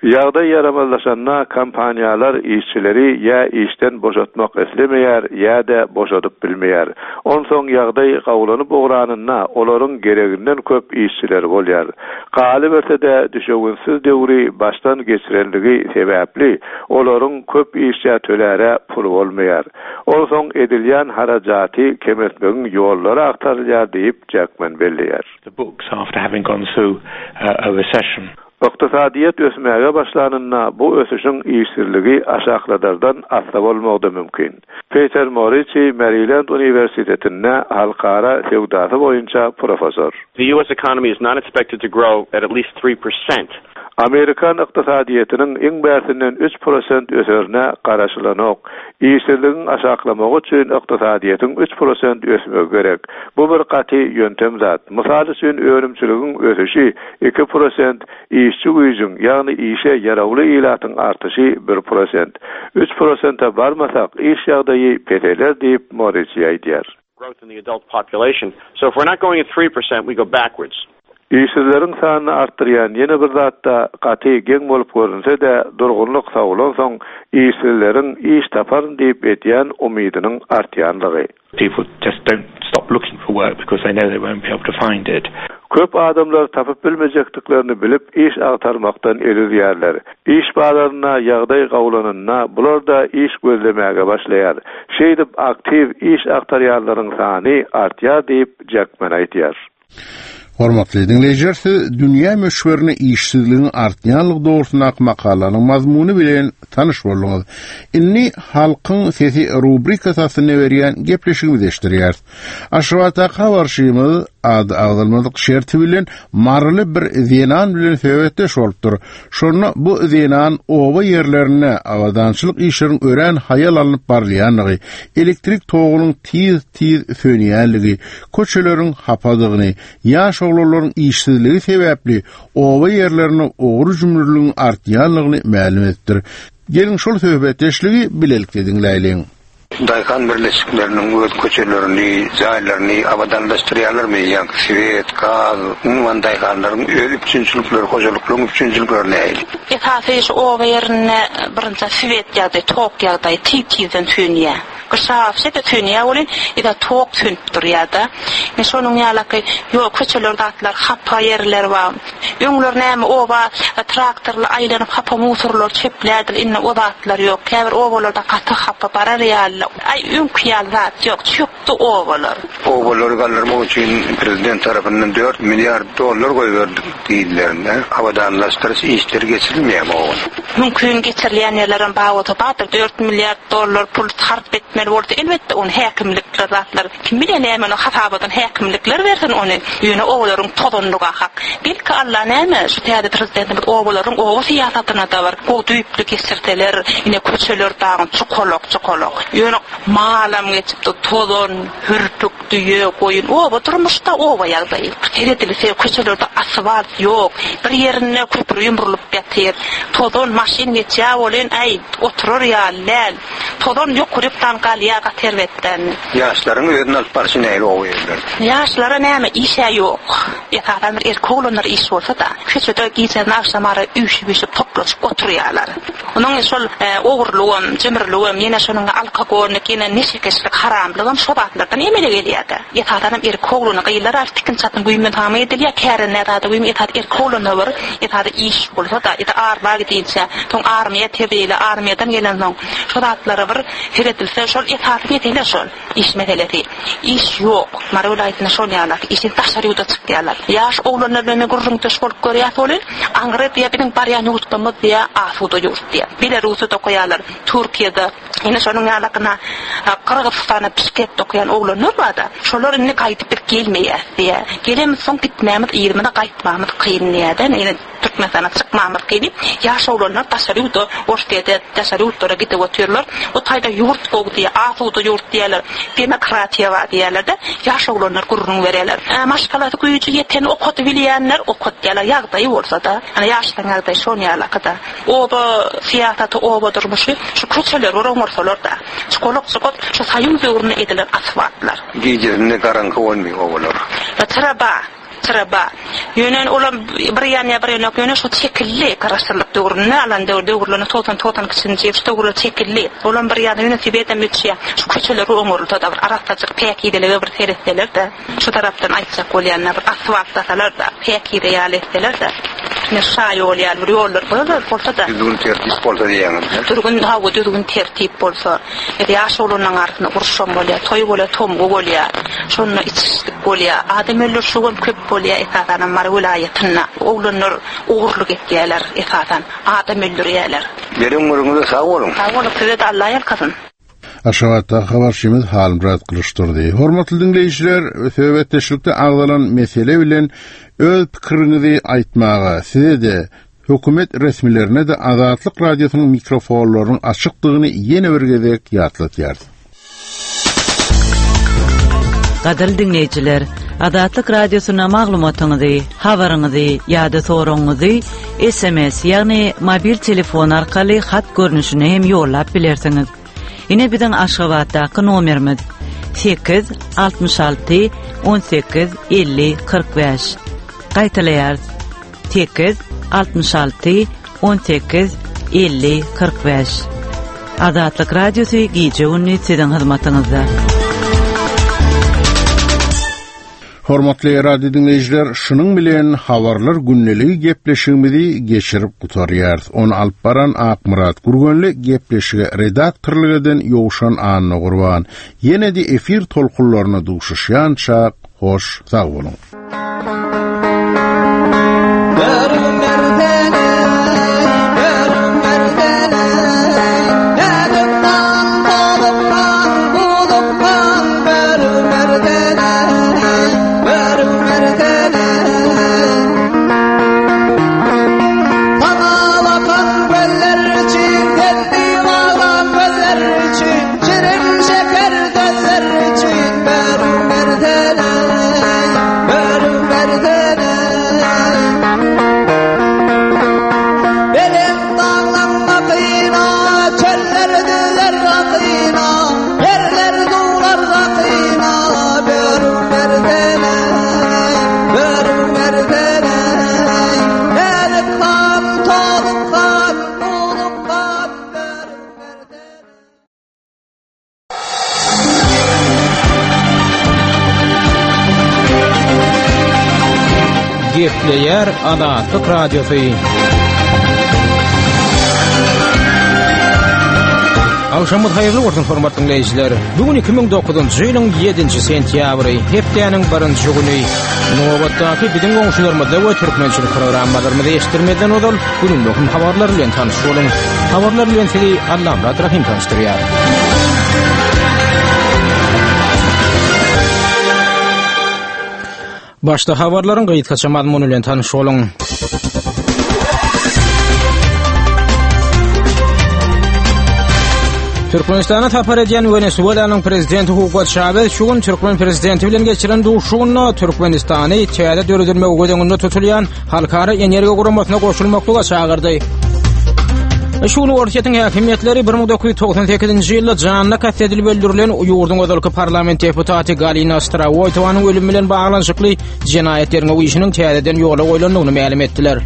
Ýagdaý ýaramazlaşanda kompaniýalar işçileri ýa işden boşatmak islemeýär, ýa-da boşadyp bilmeýär. Onsoň ýagdaý gowulanyp ugranynda olaryň gereginden köp işçileri bolýar. Galyberse-de düşewüntsiz döwri başdan geçirenligi sebäpli olaryň köp işçä töläre puly bolmaýar. Onsoň edilýän harajaty kemeltmegiň ýollary agtarylýar diýip, Jekmen belleýär. The books after having gone through a recession. Ykdysadyýet ösmäge başlanynda bu ösüşiň işsizligi aşakladardan assa bolmagy-da mümkin. Peter Moriçi Merilend uniwersitetinde halkara söwdasy boýunça professor. The US economy is not expected to grow at at least 3%. Amerikan ykdysadyýetiniň iň bärsinden 3% öserine garaşylanok. Işsizligiň aşaklamagy üçin ykdysadyýetiň 3% ösmegi gerek. Bu bir gaty ýöntem zat. Mysal üçin, önümçiligiň ösüşi 2%, işçi güýjüň, ýagny işe ýarawly ilatyň artyşy 1%. Üç prosente barmasak, iş ýagdaýy peseler diýip, Moriçi aýdýar. growth in the adult population. So if we're not going at 3%, we go backwards. Işsizleriň sanyny artdyrýan ýene bir zat-da, gaty geň bolup görünse-de, durgunlyk sowulansoň, işsizleriň iş taparyn diýip edýän umydynyň artýanlygy. People just don't stop looking for work because they know they won't be able to find it. Köp adamlar tapyp bilmejekdiklerini bilip, iş agtarmakdan el üzýärler. Iş bazarynda ýagdaý gowulanynda, bular-da iş gözlemäge başlaýar. Şeýdip, aktiw iş agtarýanlaryň sany artýar diýip, Jekmen aýdýar. Hormatly diňleýjiler, siz dünýä möçberinde işsizligiň artýanlygy dogrusyndaky makalanyň mazmuny bilen tanyş bolduňyz. Indi Halkyň sesi rubrikasy astynda berýän gepleşigimizi eşitdirýäris. Aşgabatdaky habarçymyz ady agzalmadyk şerti bilen maryly bir zenan bilen söhbetdeş bolupdyr. Şonda bu zenan oba ýerlerinde abadançylyk işleriň örän haýal alnyp barylýandygy, elektrik togunyň tiz-tiz sönýänligi, köçeleriň hapadygyny, ýaş oglanlaryň işsizligi sebäpli oba ýerlerinde ogry-jümrüligiň artýanlygyny mälim edipdir. Geliň şol söhbetdeşligi bilelikde diňläýliň. Daýhan birleşikleriniň öz köçelerini, jaýlaryny abadanlaşdyrýarlarmy? Ýaňky swet, gaz, umuman daýhanlaryň öz üpjünçilikleri, hojalyklaryň üpjünçilikleri nähili? Esasy şu oba ýerinde birinjä swet ýagdaýy, tok ýagdaýy tiz-tizden sönýär. Gyşa wapşe-de sönýär welin, ýa-da tok sönüp durýar-da. Ine şonuň ýalaky ýol, köçeler zatlar hapa ýerler bar. Öňler näme oba traktorly aýlanyp hapa musurlary çöplärdiler, indi o zatlar ýok. Käbir obalarda gaty hapa, barar ýaly, aý öňki ýaly zat ýok, çökdi obalar. Obalary galdyrmak üçin prezident tarapyndan dört milliard dollar goýberdik diýdilerinde, abadanlaşdyryş işleri geçirilmeýärmi obada? Mümkin geçirilýän ýerlerem bar bolsa bardyr, dört milliard dollar pul sarp etmeli bolsa elbetde ony häkimlikler zatlar Kim bilýär näme ony hasabadan häkimlikler bersin ony ýöne obalaryň tozanlyga hak. Belki Alla näme şu täze prezidentimiz obalaryň oba syýasatynada bir gowy düýpli geçirseler ine köçeler dagyn çukalak çukalak ýöne malam geçipdi tozan hürpük düýe goýun oba durmuşda oba ýagdaýy seredilse köçelerde asfalt ýok bir ýerinde köpri ýumrulyp ýatyr tozan maşyn geçýä welin äý oturar ýaly däl. Tozan ýokarykdan galýa gaty erbetden. Ýaşlaryň özüni alyp barşy nähili oba ýerlerde? Ýaşlara näme işä ýok. Esasan bir erkek oglanlar iş bolsa-da, köçede gijäni agşamara üýşüp-üýşüp toplaşyp oturýarlar. Onuň şol ogurlygam, jümrüligem, ýene şonuň alkogolnik, ýene neşekeşlik, haramlygam şo zatlardan emele gelýär-de. Esasanam erkek oglana, gyzlar az tikin-çatyn güýmenhama edilýär, kärende zada güýmen, esasy erkek oglana bir esasy iş bolsa-da, ýa-da arma gidinçä, soň armiýa tebili, armiýadan gelensoň, şo zatlara bir seredilse, şol esasy mesele şol, iş meselesi. Iş ýok. Mary welaýatynda şol ýalak, işsiz daşary ýurda çykýarlar. Ýaş oglanlar bilen men gürrüňdeş bolup görýäs welin, aňry diýýär, biziň barýan ýurtlarymyz diýýär, asuda ýurt diýýär. Belarusda okaýarlar, Türkiýede. Ine şonuň ýalakyna Gyrgyzystana Bişkekde okaýan oglanlar barda, şolar indi gaýdyp biz gelmeýäs diýýär. Gelemizsoň gitmämiz yzymyza gaýtmamyz kyn diýýär-de, ine Türkmenistana çykmamyz kyn diýip, ýaş oglanlar daşary ýurda Orsýete, daşary ýurtlara gidip otyrlar. O taýda ýurt gowy diýýär, asuda ýurt diýýärler, demokratiýa bar diýýärler-de, ýaş oglanlar gürrüň berýärler. Maşgalasy güýji ýeten okadybilýänler okatýarlar, ýagdaýy bolsa-da. Ine ýaşlaryň ýagdaýy şon ýalaky-da. Oba syýasaty, oba durmuşy şu köçeleri bir oňarsalar-da. Çukalak-çukat şu soýuz döwründe edilen asfaltlar. Gijesinde garaňky bolmaý obalar. Çyra ba, çyra ba. Ýöne olam bir ýanýa bir ýanok ýöne şu çekildi garaşsyzlyk döwründe alan döwür döwürlerinde 90 92-nji ýyl şu döwürler çekildi. Olam bir ýana ýöne sebedem öçýä. Şu köçeleri oňarylsa-da bir arassaçyk päkizelige bir seretseler-de. Şu tarapdan aýtjak bolýan-da, bir asfaltlasalar-da, päkize ýaly etseler-de, ine şaýol ýaly bir ýollar bolsa-da. Düzgün-tertip bolsa diýýäňiz-dä? Düzgün, hawa, düzgün-tertip bolsa. Ýa ýaş oglanlaryň arasynda uruşam bolýar, toý bolýar, tomgy bolýar. Şonda içişlik bolýar. Adam öldürişigem köp bolýar, esasanam Mary welaýatynda. Oglanlar ogurlyk etýärler, esasan, adam öldürýärler. Beren gürrüňiňize sag boluň. Sag boluň, size-de Alla ýalkasyn. Aşgabatdaky habarçymyz Halmyrat Gylyçdurdy. Hormatly diňleýjiler, söhbetdeşlikde agzalan mesele bilen öz pikiriňizi aýtmaga size-de, hökümet resmilerine-de Azatlyk Radiosynyň mikrofonlarynyň açykdygyny ýene bir gezek ýatladýarys. Gadyrly diňleýjiler, Azatlyk Radiosyna maglumatyňyzy, habaryňyzy ýa-da soragyňyzy SMS, ýagny mobil telefon arkaly hat görnüşinde hem ýollap bilersiňiz. Ine biziň Aşgabatdaky nomerimiz 8 66 18 50 45. Gaýtalaýarys. 8 66 18 50 45. Azatlyk Radiosy gije-gündiz siziň hyzmatyňyzda. Hormatly radio diňleýjiler, şunuň bilen Habarlar gündeligi gepleşigimizi geçirip gutarýarys. Ony alyp baran Akmyrat Gürgenli, gepleşige redaktorlyk eden Ýowşan Annagurban. Ýene-de efir tolkunlaryna duşuşýançak, hoş sag boluň! Gepleýär Azatlyk Radiosy. Agşamyz haýyrly bolsun hormatly diňleýjiler. Bu gün 2009-njy ýylyň 7-nji sentýabry, hepdäniň birinji güni. Nobatdaky biziň goňşularymyzda we türkmençilik programmalarymyzy eşitdirmezden ozal günüň möhüm habarlary bilen tanyş boluň. Habarlar bilen sizi Allamyrat Rahym tanyşdyrýar. Başda habarlaryň gysgaça mazmuny bilen tanyş boluň. Türkmenistana sapar edýän Wenesuelanyň prezidenti Hugo Çawez şu gün türkmen prezidenti bilen geçiren duşuşygynda Türkmenistany täze döredilmegi göz öňünde tutulýan Halkara energiýa guramasyna goşulmaklyga çagyrdy. Şu gün Orsýetiň häkimiýetleri 1998-nji ýylda janyna kast edilip öldürilen ýurduň ozalky parlament deputaty Galina Strawoýtowanyň ölümi bilen baglanyşykly jenaýat derňew işiniň täzeden ýola goýlandygyny mälim etdiler.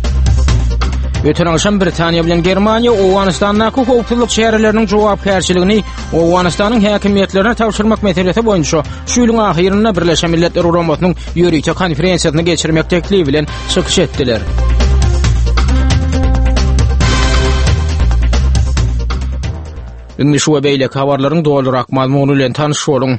Öten agşam Britaniýa bilen Germaniýa Owganystandaky howpsuzlyk çäreleriniň jogapkärçiligini Owganystanyň häkimiýetlerine tabşyrmak meselesi boýunça şu ýylyň ahyrynda Birleşen Milletler Guramasynyň ýörite konferensiýasyny geçirmek teklibi bilen çykyş etdiler. Indi şu we beýleki habarlaryň dolurak mazmuny bilen tanyş boluň.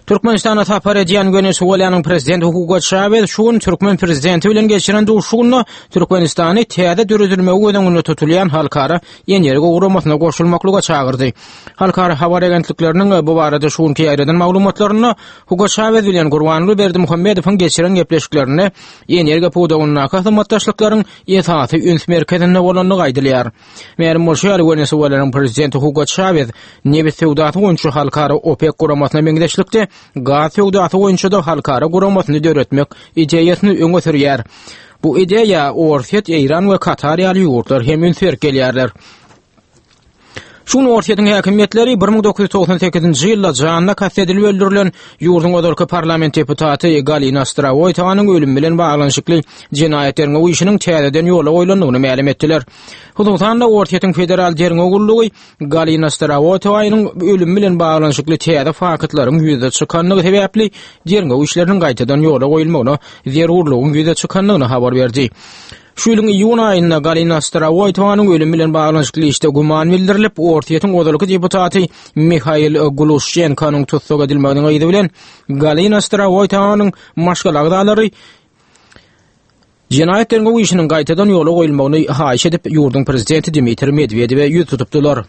Türkmenistana sapar edýän Wenesuelanyň prezidenti Hugo Çawez şu gün türkmen prezidenti bilen geçiren duşuşygynda Türkmenistany täze döredilmegi göz öňünde tutulýan halkara energiýa guramasyna goşulmaklyga çagyrdy. Halkara habar agentlikleriniň bu barada şu günki ýaýradan maglumatlarynda Hugo Çawez bilen Gurbanguly Berdimuhamedowyň geçiren gepleşiklerinde energiýa pudagyndaky hyzmatdaşlyklaryň esasy üns merkezinde bolandygy aýdylýar. Mälim bolşy ýaly, Wenesuelanyň prezidenti Hugo Çawez nebit söwdasy boýunça halkara OPEK guramasyna meňzeşlikde gaz söwdasy boýunça-da halkara guramasyny döretmek ideýasyny öňe sürýär. Bu ideýa Orsýet, Eýran we Katar ýaly ýurtlar hem üns berip gelýärler. Şu gün Orsýetiň häkimiýetleri 1998-nji ýylda janyna kast edilip öldürilen ýurduň ozalky parlament deputaty Galina Strawoýtowanyň ölümi bilen baglanyşykly jenaýat derňew işiniň täzeden ýola goýlandygyny mälim etdiler. Hususan-da, Orsýetiň Federal derňew gullugy Galina Strawoýtowanyň ölümi bilen baglanyşykly täze faktlaryň ýüze çykandygy sebäpli derňew işleriniň gaýtadan ýola goýulmagyna zerurlygyň ýüze çykandygyny habar berdi. Şu ýylyň iýun aýynda Galina Starowoýtowanyň ölümi bilen baglanyşykly işde güman bildirilip, Orsýetiň ozalky deputaty Mihail Gluşçenkonyň tussag edilmeginiň yzy bilen Galina Starowoýtowanyň maşgala agzalary jenaýat derňew işiniň gaýtadan ýola goýulmagyny haýyş edip, ýurduň prezidenti Dmitriý Medwedewe ýüz tutupdylar.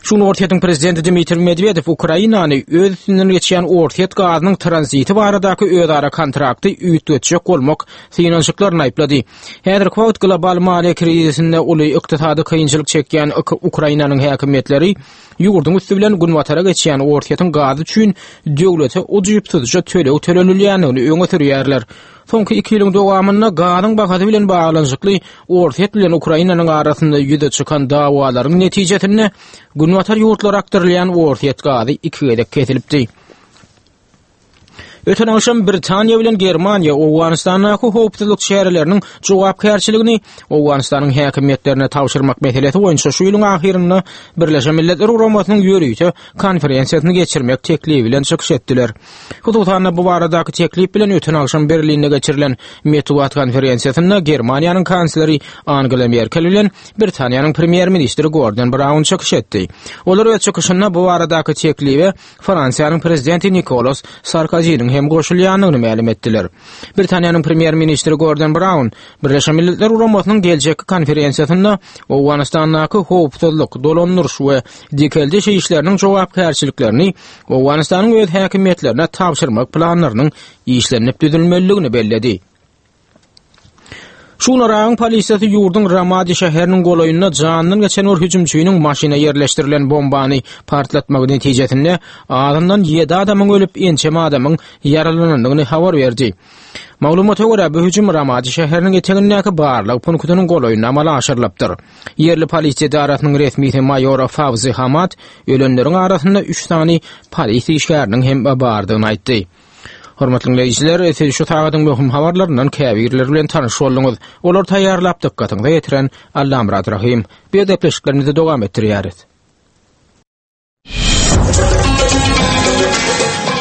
Şu gün Orsýetiň prezidenti Dmitriý Medwedew Ukrainany öz üstünden geçýän orsýet gazynyň tranziti baradaky özara kontrakty üýtgetjek bolmak synanyşyklaryny aýyplady. Häzirki wagt global maliýe krizisinde uly ykdysady kynçylyk çekýän Ukrainanyň häkimiýetleri ýurduň üsti bilen günbatara geçýän Orsýetiň gazy üçin döwlete ujypsyzja töleg tölenilýändigini öňe sürýärler. Soňky iki ýylyň dowamynda gazyň bahasy bilen baglanyşykly Orsýet bilen Ukrainanyň arasynda ýüze çykan dawalaryň netijesinde günbatar ýurtlara akdyrylýan orsýet gazy iki gezek kesilipdi. Öten agşam Britaniýa bilen Germaniýa Owganystandaky howpsuzlyk çäreleriniň jogapkärçiligini Owganystanyň häkimiýetlerine tabşyrmak meselesi boýunça şu ýylyň ahyrynda Birleşen Milletler Guramasynyň ýörite konferensiýasyny geçirmek teklibi bilen çykyş etdiler. Hususan-da, bu baradaky teklip bilen öten agşam Berlinde geçirilen metbugat konferensiýasynda Germaniýanyň kansleri Angela Merkel bilen Britaniýanyň premýer-ministri Gordon Braun çykyş etdi. Olar öz çykyşynda bu baradaky teklibe Fransiýanyň prezidenti Nikolas Sarkoziniň. hem goşulýandygyny mälim etdiler. Britaniýanyň premýer-ministri Gordon Braun Birleşen Milletler Guramasynyň geljekki konferensiýasynda Owganystandaky howpsuzlyk, dolandyryş we dikeldiş işleriniň jogapkärçiliklerini Owganystanyň öz häkimiýetlerine tabşyrmak planlarynyň işlenip düzülmelidigini belledi. Şu gün Yragyň polisiýasy ýurduň Ramadi şäheriniň golaýynda janyndan geçen bir hüjümçiniň maşyna ýerleşdirilen bombany partlatmagy netijesinde azyndan ýedi adamyň ölüp, ençeme adamyň ýaralanandygyny habar berdi. Maglumata görä, bu hüjüm Ramadi şäheriniň etegindäki barlag punktynyň golaýynda amala aşyrylypdyr. Ýerli polisiýa edarasynyň resmisi maýor Fawzi Hamad ölenleriň arasynda üç sany polis işgäriniň hem bardygyny aýtdy. Hormatly diňleýjiler, siz şu sagadyň möhüm habarlaryndan käbirleri bilen tanyş bolduňyz. Olary taýýarlap dykgatyňyza ýetiren Allamyrat Rahym. Biz gepleşiklerimizi dowam etdirýäris.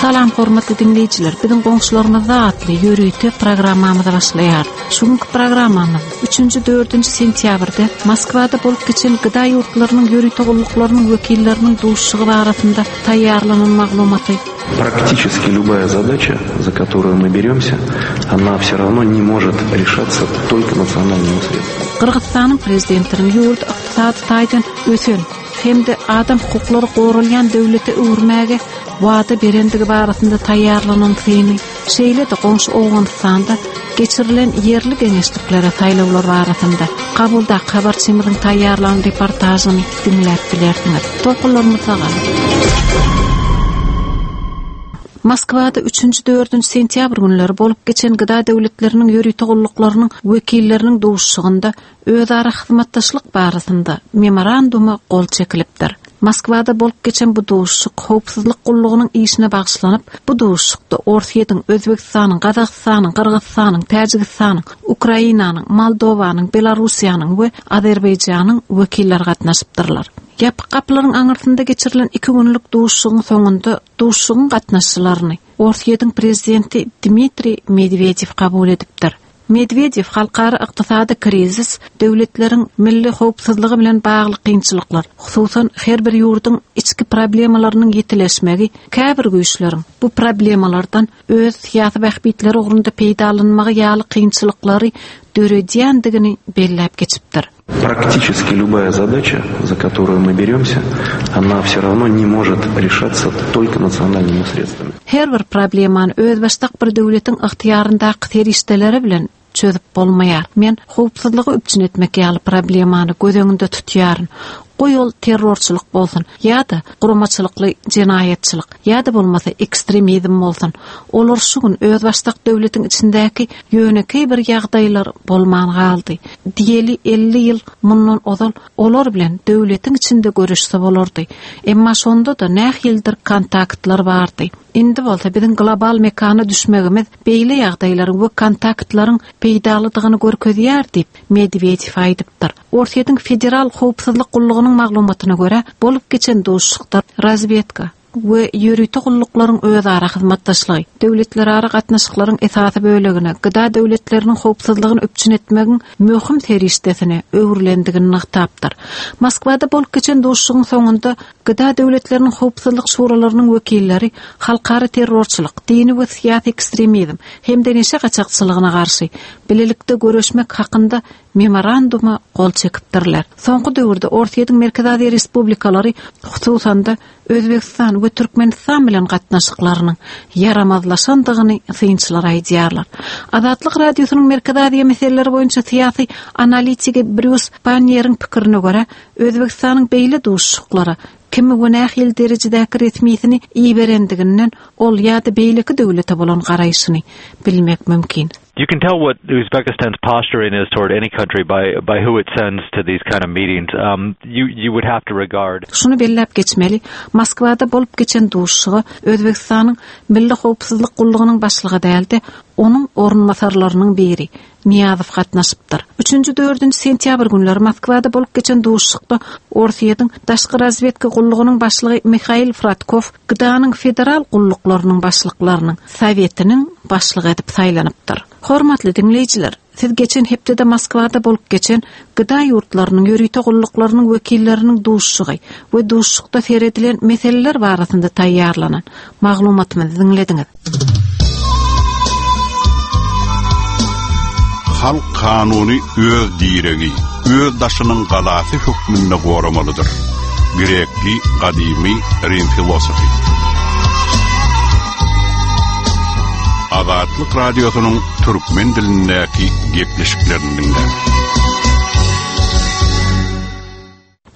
Salam hormatly diňleýjiler. Biziň goňşularymyzda atly ýörite programmamyzy başlaýar. Şu günki programmamyz 3-nji 4-nji sentýabrda Moskwada bolup geçen gda ýurtlarynyň ýörite gulluklarynyň wekilleriniň duşuşygy barasynda taýýarlanan maglumaty Практически любая задача, за которую мы беремся, она все равно не может решаться только национальными средствами. Gyrgyzystanyň prezidentiniň ýurdy ykdysady taýdan ösen hem-de adam hukuklary goralýan döwlete öwürmäge wada berendigi barasynda taýýarlanan syny, şeýle-de goňşy Owganystanda geçirilen ýerli geňeşliklere saýlawlar barasynda Kabuldaky habarçymyzyň taýýarlan reportažyny diňläp bilersiňiz. Tolkunlarymyzda galyň. Moskwada üçünji, dördünji sentýabr günleri bolup geçen gda döwletleriniň ýörite gulluklarynyň wekilleriniň duşuşygynda özara hyzmatdaşlyk barasynda memoranduma gol çekilipdir. Moskwada bolup geçen bu duşuşyk howpsuzlyk gullugynyň işine bagyşlanyp, bu duşuşykda Orsýetiň, Özbegistanyň, Gazagystanyň, Gyrgyzystanyň, Täjigistanyň, Ukrainanyň, Moldowanyň, Belarussiýanyň we Azerbaýjanyň wekilleri gatnaşypdyrlar. Ýapyk gapylaryň aňyrsynda geçirilen iki günlük duşuşygyň soňunda duşuşygyň gatnaşyjylaryny Orsýetiň prezidenti Dmitriý Medwedew kabul edipdir. Medwedew halkara ykdysady krizis, döwletleriň milli howpsuzlygy bilen bagly kynçylyklar, hususan, her bir ýurduň içki problemalarynyň ýitileşmegi käbir güýçleriň bu problemalardan öz syýasy bähbitleri ugrunda peýdalanmagy ýaly kynçylyklary döredýändigini belläp geçipdir. Практически любая задача, за которую мы беремся, она все равно не может решаться только национальными средствами. Her bir problemany özbaşdak bir döwletiň ygtyýaryndaky serişdeleri bilen çözüp bolmaýar. Men howpsuzlygy üpjün etmek ýaly problemany göz öňünde tutýaryn. Goý ol terrorçylyk bolsun ýa-da guramaçylykly jenaýatçylyk ýa-da bolmasa ekstremizm bolsun. Olar şu gün özbaşdak döwletiň içindäki ýönekeý bir ýagdaýlar bolman galdy. Diýeli 50 ýyl mundan ozal olar bilen döwletiň içinde göreşse bolardy. Emma şonda-da nähilidir kontaktlar bardy. Indi bolsa biziň global mekana düşmegimiz beýle ýagdaýlaryň we kontaktlaryň peýdalydygyny görkezýär diýip, Medwedew aýdypdyr. Orsýetiň Federal howpsuzlyk gullugynyň maglumatyna görä, bolup geçen duşuşykda razwedka we ýörite gulluklaryň özara hyzmatdaşlygy, döwletlerara gatnaşyklaryň esasy bölegine, gda döwletleriniň howpsuzlygyny üpjün etmegiň möhüm serişdesine öwrülendigini nygtapdyr. Moskwada bolup geçen duşuşygyň soňunda gda döwletleriniň howpsuzlyk şuralarynyň wekilleri halkara terrorçylyk, dini we syýasy ekstremizm hem-de neşe gaçakçylygyna garşy bilelikde göreşmek hakynda Memoranduma gol çekipdirler. Soňky döwürde Orsýetiň Merkezi Aziýa respublikalary, hususan-da, Özbegistan we Türkmenistan bilen gatnaşyklarynyň ýaramazlaşandygyny synçylar aýdýarlar. Azatlyk Radiosynyň Merkezi Aziýa meseleleri boýunça syýasy analitigi Brýus Panniýeriň pikirine görä, Özbegistanyň beýle duşuşyklara kimi we nähili derejedäki resmisini iberendiginden ol ýa-da beýleki döwlete bolan garaýşyny bilmek mümkin. You can tell what Uzbekistan's posturing is toward any country by by who it sends to these kind of meetings. Um, you you would have to regard. Şuny belläp geçmeli, Moskwada bolup geçen duşuşyga Özbegistanyň Milli howpsuzlyk gullugynyň başlygy däl-de, onuň orunbasarlarynyň biri, Nyýazow gatnaşypdyr. Üçünji-dördünji sentýabr günleri Moskwada bolup geçen duşuşykda Orsýetiň Daşky razwedka gullugynyň başlygy Mihail Fradkow GDA-nyň federal gulluklarynyň başlyklarynyň Sowetiniň başlygy edip saýlanypdyr. Hormatly diňleýjiler, siz geçen hepdede Moskwada bolup geçen GDA ýurtlarynyň ýörite gulluklarynyň wekilleriniň duşuşygy we duşuşykda seredilen meseleler barasynda taýýarlanan maglumatymyzy diňlediňiz. Halk kanuny öz diregi, öz daşynyň galasy hökmünde goramalydyr. Grekli gadymy rim filosofy. Azatlyk Radiosynyň türkmen dilindäki gepleşiklerini diňläň.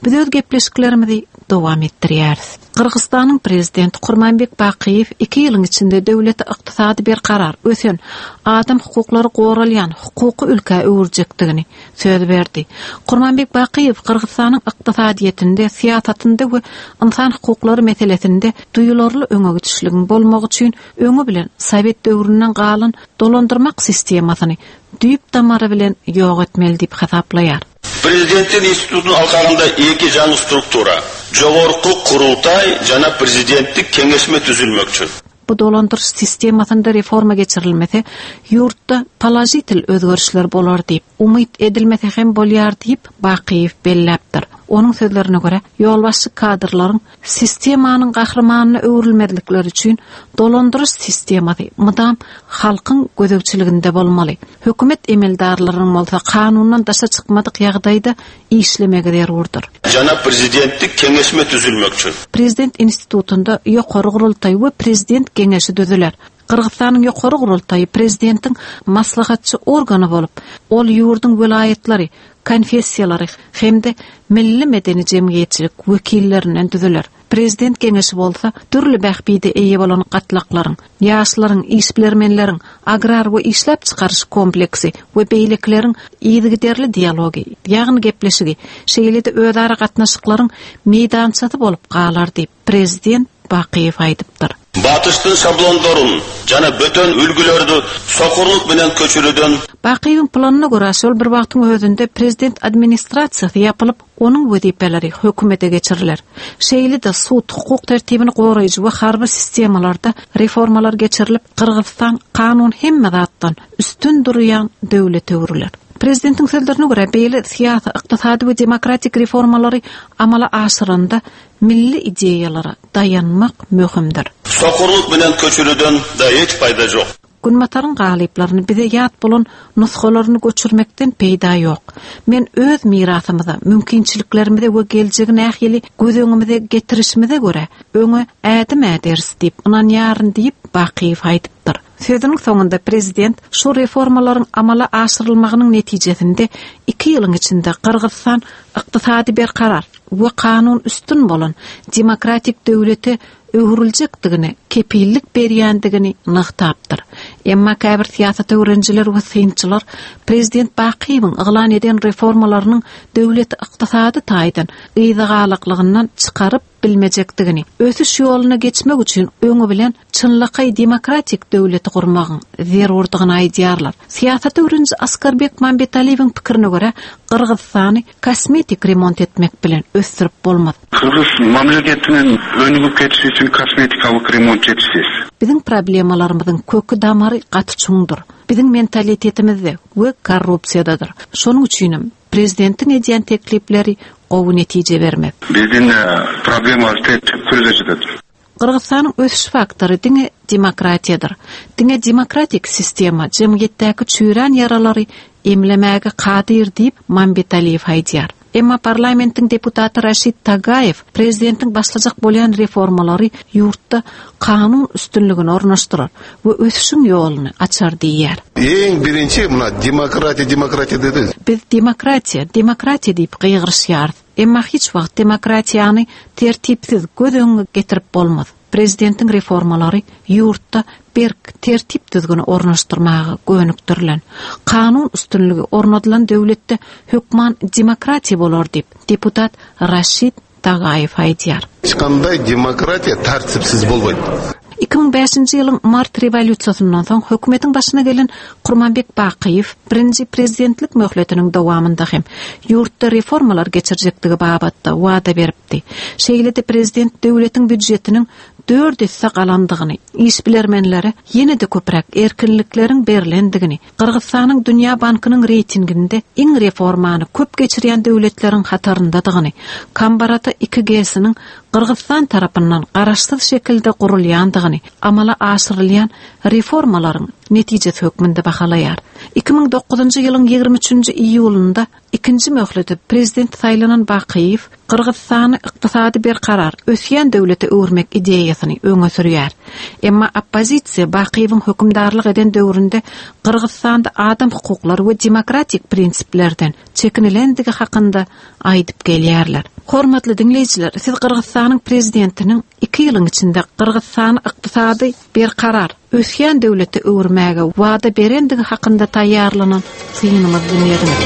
Biz öz gepleşiklerimizi dowam etdirýäris. Gyrgyzystanyň Prezidenti Kurmanbek Bakyýew iki ýylyň içinde döwleti ykdysady berkarar, ösen, adam hukuklary goralýan hukuky ülkä öwürjekdigini söz berdi. Kurmanbek Bakyýew Gyrgyzystanyň ykdysadyýetinde, syýasatynda we ynsan hukuklary meselesinde duýularly öňegidişligiň bolmagy üçin öňi bilen sowet döwründen galan dolandyrmak sistemasyny düýp-damary bilen ýok etmeli diýip hasaplaýar. Президенттин институтун алкагында эки жаңы структура, Жогорку Курултай жана Президенттик кеңешме түзүлмөкчү. Bu dolandyryş sistemasynda reforma geçirilmese, ýurtda položitel özgerişler bolar diýip, umyt edilmese hem bolýar diýip, Bakyýew belläpdir. Onuň sözlerine görä, ýolbaşçy kadrlaryň sistemanyň gahrymanyna öwrülmezlikleri üçin dolandyryş sistemasy mydam halkyň gözegçiliginde bolmaly. Hökümet emeldarlarynyň bolsa kanundan daşa çykmadyk ýagdaýda işlemegi zerurdyr. Jana Prezidenttik keňeşme tüzülmekçi. Prezident institutynda Ýokary gurultaý we Prezident geňeşi düzüler. Gyrgyzystanyň Ýokary gurultaýy prezidentiň maslahatçy organy bolup, ol ýurduň welaýatlary, konfessiýalary hem-de milli-medeni jemgyýetçilik wekillerinden düzüler. Prezident geňeşi bolsa dürli bähbide eýe bolan gatlaklaryň, ýaşlaryň, işbilermenleriň, agrar we işläp çykaryş kompleksi we beýlekileriň yzygiderli dialogy, ýagny gepleşigi, şeýle-de özara gatnaşyklaryň meýdançasy bolup galar diýip, prezident Bakyýew aýdypdyr. Batyştyn şablondorun jana böten ülgülerdü sokurluk menen köçürüdön. Bakyýewiň planyna görä, şol bir wagtyň özünde prezident administrasiýasy ýapylyp, onuň wezipeleri hökümete geçiriler. Şeýle-de sud, hukuk tertibini goraýjy we harby sistemalarda reformalar geçirilip, Gyrgyzystan kanun hemme zatdan üstün durýan döwlete öwrüler. Prezidentiň sözlerine görä, beýle syýasy, ykdysady we demokratik reformalary amala aşyranda milli ideýalara daýanmak möhümdir. Sokurluk menen köçürüden da hiç paýda jok. Günbataryň galyplaryny bize ýat bolan nusgalaryny göçürmekden peýda ýok. Men öz mirasymyza, mümkinçiliklerimize we geljegi nähili göz öňümize getirişimize görä, öňe ädim äderis diýip ynanýaryn diýip, Bakyýew aýdypdyr. Sözüniň soňunda prezident şu reformalaryň amala aşyrylmagynyň netijesinde iki ýylyň içinde Gyrgyzystan ykdysady berkarar we kanun üstün bolan demokratik döwlete öwrüljekdigine kepillik berýändigini nygtapdyr. Emma käbir syýasat öwrenijiler we synçylar prezident Bakyýewiň yglan eden reformalarynyň döwleti ykdysady taýdan yzagalaklygyndan çykaryp bilmejekdigini, ösüş ýoluna geçmek üçin öňi bilen çynlakaý demokratik döwleti gurmagyň zerurdygyny aýdýarlar. Syýasat öwreniji Askarbek Mambetaliýewiň pikirine görä, Gyrgyzystany kosmetik remont etmek bilen ösdürip bolmaz. Gyrgyz mamleketiniň önügip ketişi üçin kosmetikalyk remont ýetişsiz. Biziň problemalarymyzyň köki-damary gaty çuňdur. Biziň mentalitetimizde we korrupsiýadadyr. Şonuň üçinem prezidentiň edýän teklipleri gowy netije bermez. Biziň problemalar tüpkürdejidir. Gyrgyzystanyň ösüş faktory diňe demokratiýadyr. Diňe demokratik sistema jemgyýetdäki çüýrän ýaralary emlemäge kadyr diýip, Mambetaliýew aýdýar. Emma parlamentiň deputaty Raşid Tagaýew prezidentiň başlajak bolýan reformalary ýurtda kanun üstünligini ornaşdyrar we ösüşiň ýoluny açar diýýär. Iň birinji muna demokratiýa demokratiýa dedi. Biz demokratiýa, demokratiýa diýip gygyryşýarys. Emma hiç wagt demokratiýany tertipsiz göz öňüňe getirip bolmaz. Prezidentiň reformalary ýurtda berk tertip-düzgüni ornaşdyrmaga gönükdirilen. Kanun üstünligi ornadylan döwletde hökman demokratiýa bolar diýip, deputat Raşid Tagaýew aýdýar. Hiç kanday demokratiýa tertipsiz bolmaýt. 2005-nji ýylyň mart rewolýusiýasyndan soň hökümetiň başyna gelen Kurmanbek Bakyýew birinji prezidentlik möhletiniň dowamynda hem ýurtda reformalar geçirjekdigi babatda wada beripdi. Şeýle-de prezident döwletiň býudjetiniň dört esse galandygyny, işbilermenlere ýene-de köpräk erkinlikleriň berlendigini, Gyrgyzystanyň Dünýä bankynyň reýtinginde iň reformany köp geçirýän döwletleriň hataryndadygyny, Kambarata iki GES-niň Gyrgyzystan tarapyndan garaşsyz şekilde gurulýandygyny, amala aşyrylýan reformalaryň netijesi hökmünde bahalaýar. 2009-njy ýylyň 23-nji iýulynda ikinji möhlete prezident saýlanan Bakyýew Gyrgyzystany ykdysady berkarar, ösýän döwlete öwürmek ideýasyny öňe sürýär. Emma oppozisiýa Bakyýewiň hökümdarlyk eden döwründe Gyrgyzystanda adam hukuklary we demokratik prinsiplerden çekinilendigi hakynda aýdyp gelýärler. Hormatly diňleýjiler, siz Gyrgyzystanyň prezidentiniň iki ýylyň içinde Gyrgyzystany ykdysady berkarar, ösýän döwlete öwürmäge wada berendigi hakynda taýýarlanan synymyzy diňlediňiz.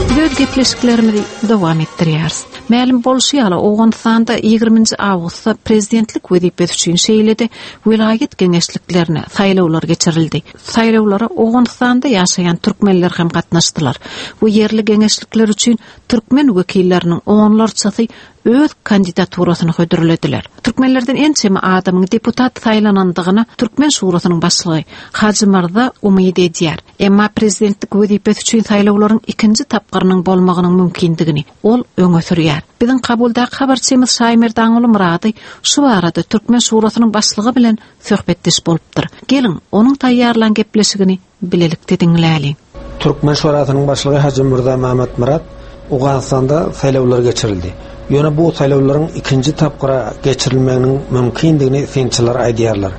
Biz öz gepleşiklerimizi dowam etdirýäris. Mälim bolşy ýaly, Owganystanda ýigriminji awgustda prezidentlik wezipesi üçin şeýle-de welaýat geňeşliklerine saýlawlar geçirildi. Saýlawlara Owganystanda ýaşaýan türkmenler hem gatnaşdylar we ýerli geňeşlikler üçin türkmen wekilleriniň onlarçasy öz kandidaturasyny hödürlediler. Türkmenlerden ençeme adamyň deputat saýlanandygyna Türkmen şurasynyň başlygy Hajy Myrza umyt edýär. Emma prezidentlik wezipesi üçin saýlawlaryň ikinji tapgyrynyň bolmagynyň mümkindigini ol öňe sürýär. Biziň Kabuldaky habarçymyz Şaýmerdanguly Myrady şu barada Türkmen şurasynyň başlygy bilen söhbetdeş bolupdyr. Geliň, onuň taýýarlan gepleşigini bilelikde diňläliň. Türkmen Şurasynyň başlygy Hajymyrza Mämmetmyrat Owganystanda saýlawlar geçirildi. Ýöne bu saýlawlaryň ikinji tapgyra geçirilmeginiň mümkindigini synçylar aýdýarlar.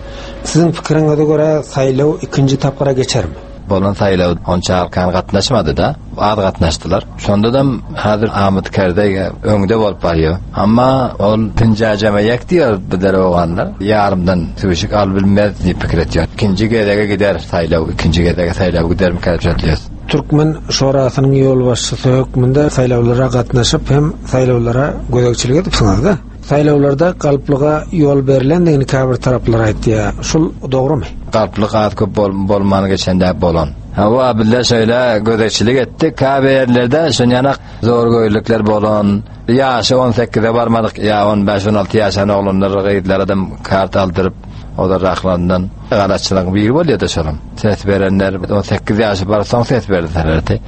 Siziň pikiriňize görä saýlaw ikinji tapgyra geçermi? Bolan saýlaw onça halkan gatnaşmady-da, az gatnaşdylar. Şondadam häzir Amyt Kerzeý öňde bolup barýar. Amma ol penjäjeme ýek diýýär bizler oganlar. Ýarymdan süwşük alyp bilmez diýip pikir etýär. Ikinji gezege gider saýlaw, ikinji gezege saýlaw gidermikä diýip şatlyýas. Türkmen şorasynyň ýolbaşçysy hökmünde saýlawlara gatnaşyp hem saýlawlara gözegçilik edipsiňiz-de. Saýlawlarda galplyga ýol berlendigini käbir taraplar aýtýar. Şul dogrumy? Galplyk az köp bolman geçen däp bolan. Hawa, bizler şeýle gözegçilik etdik. Käbir ýerlerde şonýanak zorgöýlükler bolan, ýaşy on sekize barmadyk ýa on bäş-on alty ýaşan oglanlar, gyzlaradam kart aldyryp, olar rahlandan galatçylygyň biri bolýar-da şolam. Ses berenler 18 ýaşy barsoň ses berselerdi.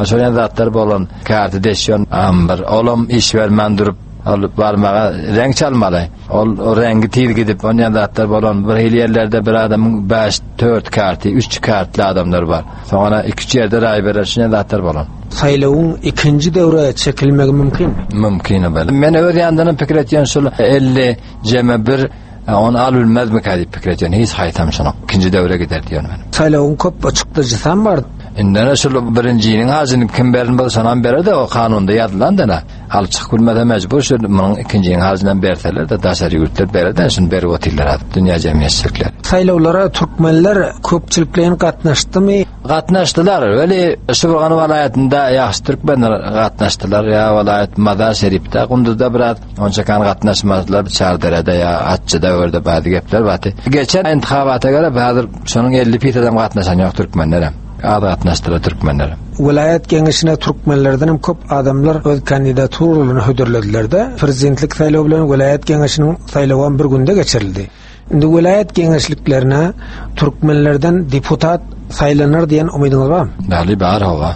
Şol ýaly zatlar bolan, karty deşýän bir olam iş bermän durup, ol barmaga reň çalmaly. Ol reňgi tiz gidip, onýan zatlar bolan bir hili ýerlerde bir adamyň 5, 4 karty, 3 kartly adamlar bar. Soňra 2-3 ýerde raý berer, şunýan zatlar bolan. Saýlawyň ikinji döwre çekilmegi mümkinmi? Mümkin bel. Men öz ýandanam pikir etýän şul 50 jeme bir ony alyp bilmezmikä diýip pikir etýän. Hiç haýsam şunuň ikinji döwre gider diýen men. Saýlawyň köp çykdajysam bar. Indene şul birinjiniň hajyny kim berin bolsa şonam berer-de o kanunda ýazylan dana. Alyp çykyp bilmese mejbur şu munuň ikinjiniň harjynam berseler-de daşary ýurtlar berer-de şuny berip otyrlar házir dünýä jemgyýetçilikleri. Saýlawlara türkmenler köpçülikleýin gatnaşdymy? Gatnaşdylar. Weli Şybyrgan welaýatynda ýagşy türkmenler gatnaşdylar. Ýa welaýat Mazar Şerifde, Gunduzda biraz onça kan gatnaşmadylar. Çarderede ýa Atçyda o ýerde bady gepler bardy. Geçen intihabata görä häzir şonuň 50 fisadam gatnaşan ýok türkmenlerem. Az gatnaşdylar türkmenler. Welaýat geňeşine türkmenlerden hem köp adamlar öz kandidaturalaryny hödürlediler-de, prezidentlik saýlawy bilen welaýat geňeşiniň saýlawam bir günde geçirildi. Indi welaýat geňeşliklerine türkmenlerden deputat saýlanar diýen umydyňyz barmy? Bäli bar hawa.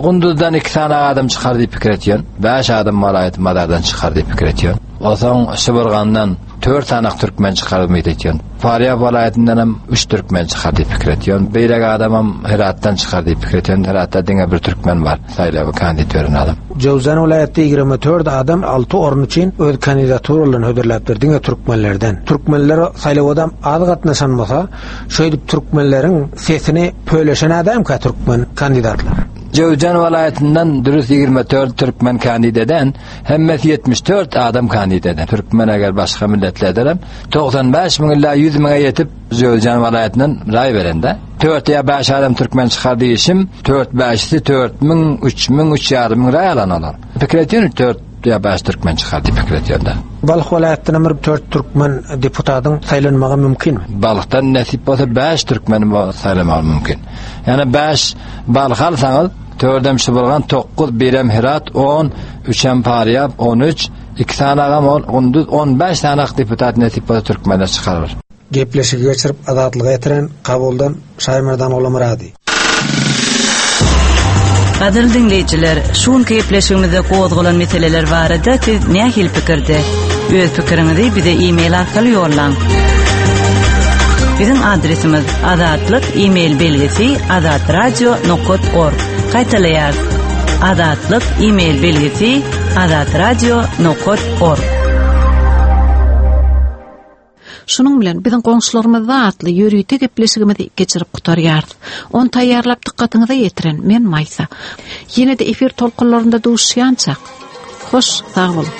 Gunduzdan iki sany adam çykar diýip pikir etýän. Bäş adam welaýat mazardan çykar diýip pikir etýän. Onsoň Şybyrgandan dört sany türkmen çykar umyt etýän. Farýab welaýatyndan hem üç türkmen çykar diýip pikir etýän. Beýleki adamam Heratdan çykar diýip pikir etýän. Heratda diňe bir türkmen bar, saýlawa kandid beren adam. Jöwzan welaýatda 24 adam alty orun üçin öz kandidaturalaryny hödürläpdir, diňe türkmenlerden. Türkmenler saýlawadam az gatnaşan bolsa, şeýdip türkmenleriň sesini pöleşen adamka türkmen kandidatlar. Jöwzan welaýatyndan dürüst 24 türkmen kandid eden, hemmesi 74 adam kandid eden. Türkmen eger başga milletlerdenem 95 müň illa 100 müňe ýetip Jöwzjan welaýatyndan raý berende. Dört ýa bäş adam türkmen çykar diýişim, dört bäşisi 4000, 3000, 3,5 müň raý alan olar. Pikir etýän dört ýa bäş türkmen çykar diýip pikir etýän-de. Balh welaýatyndan bir dört türkmen deputatyň saýlanmagy mümkinmi? Balhdan nesip bolsa bäş türkmeni saýlamagy mümkin. Ýani bäş Balh alsaňyz, dördem Şybyrgan, dokuz, birem Herat, on, üçem Parýab, on üç, iki sany agam ol Gunduz, on bäş sany deputat nesip bolsa türkmenler çykarar. Gepleşigi geçirip Azatlyga ýetiren Kabuldan Şaýmerdan Oglamyrady. Gadyrly diňleýjiler, şu günki gepleşigimizde gozgalan meseleler barada siz nähili pikirde? Öz pikiriňizi bize e-mail arkaly ýollaň. Biziň adresimiz Azatlyk e-mail belgisi azatradio nokat org. Gaýtalaýarys. Azatlyk e-mail belgisi azatradio nokat org. Şunuň bilen biziň goňşularymyzda atly ýörite gepleşigimizi geçirip gutarýarys. Ony taýýarlap dykgatyňyza ýetiren men Maýsa. Ýene-de efir tolkunlarynda duşuşýançak. Hoş, sag boluň.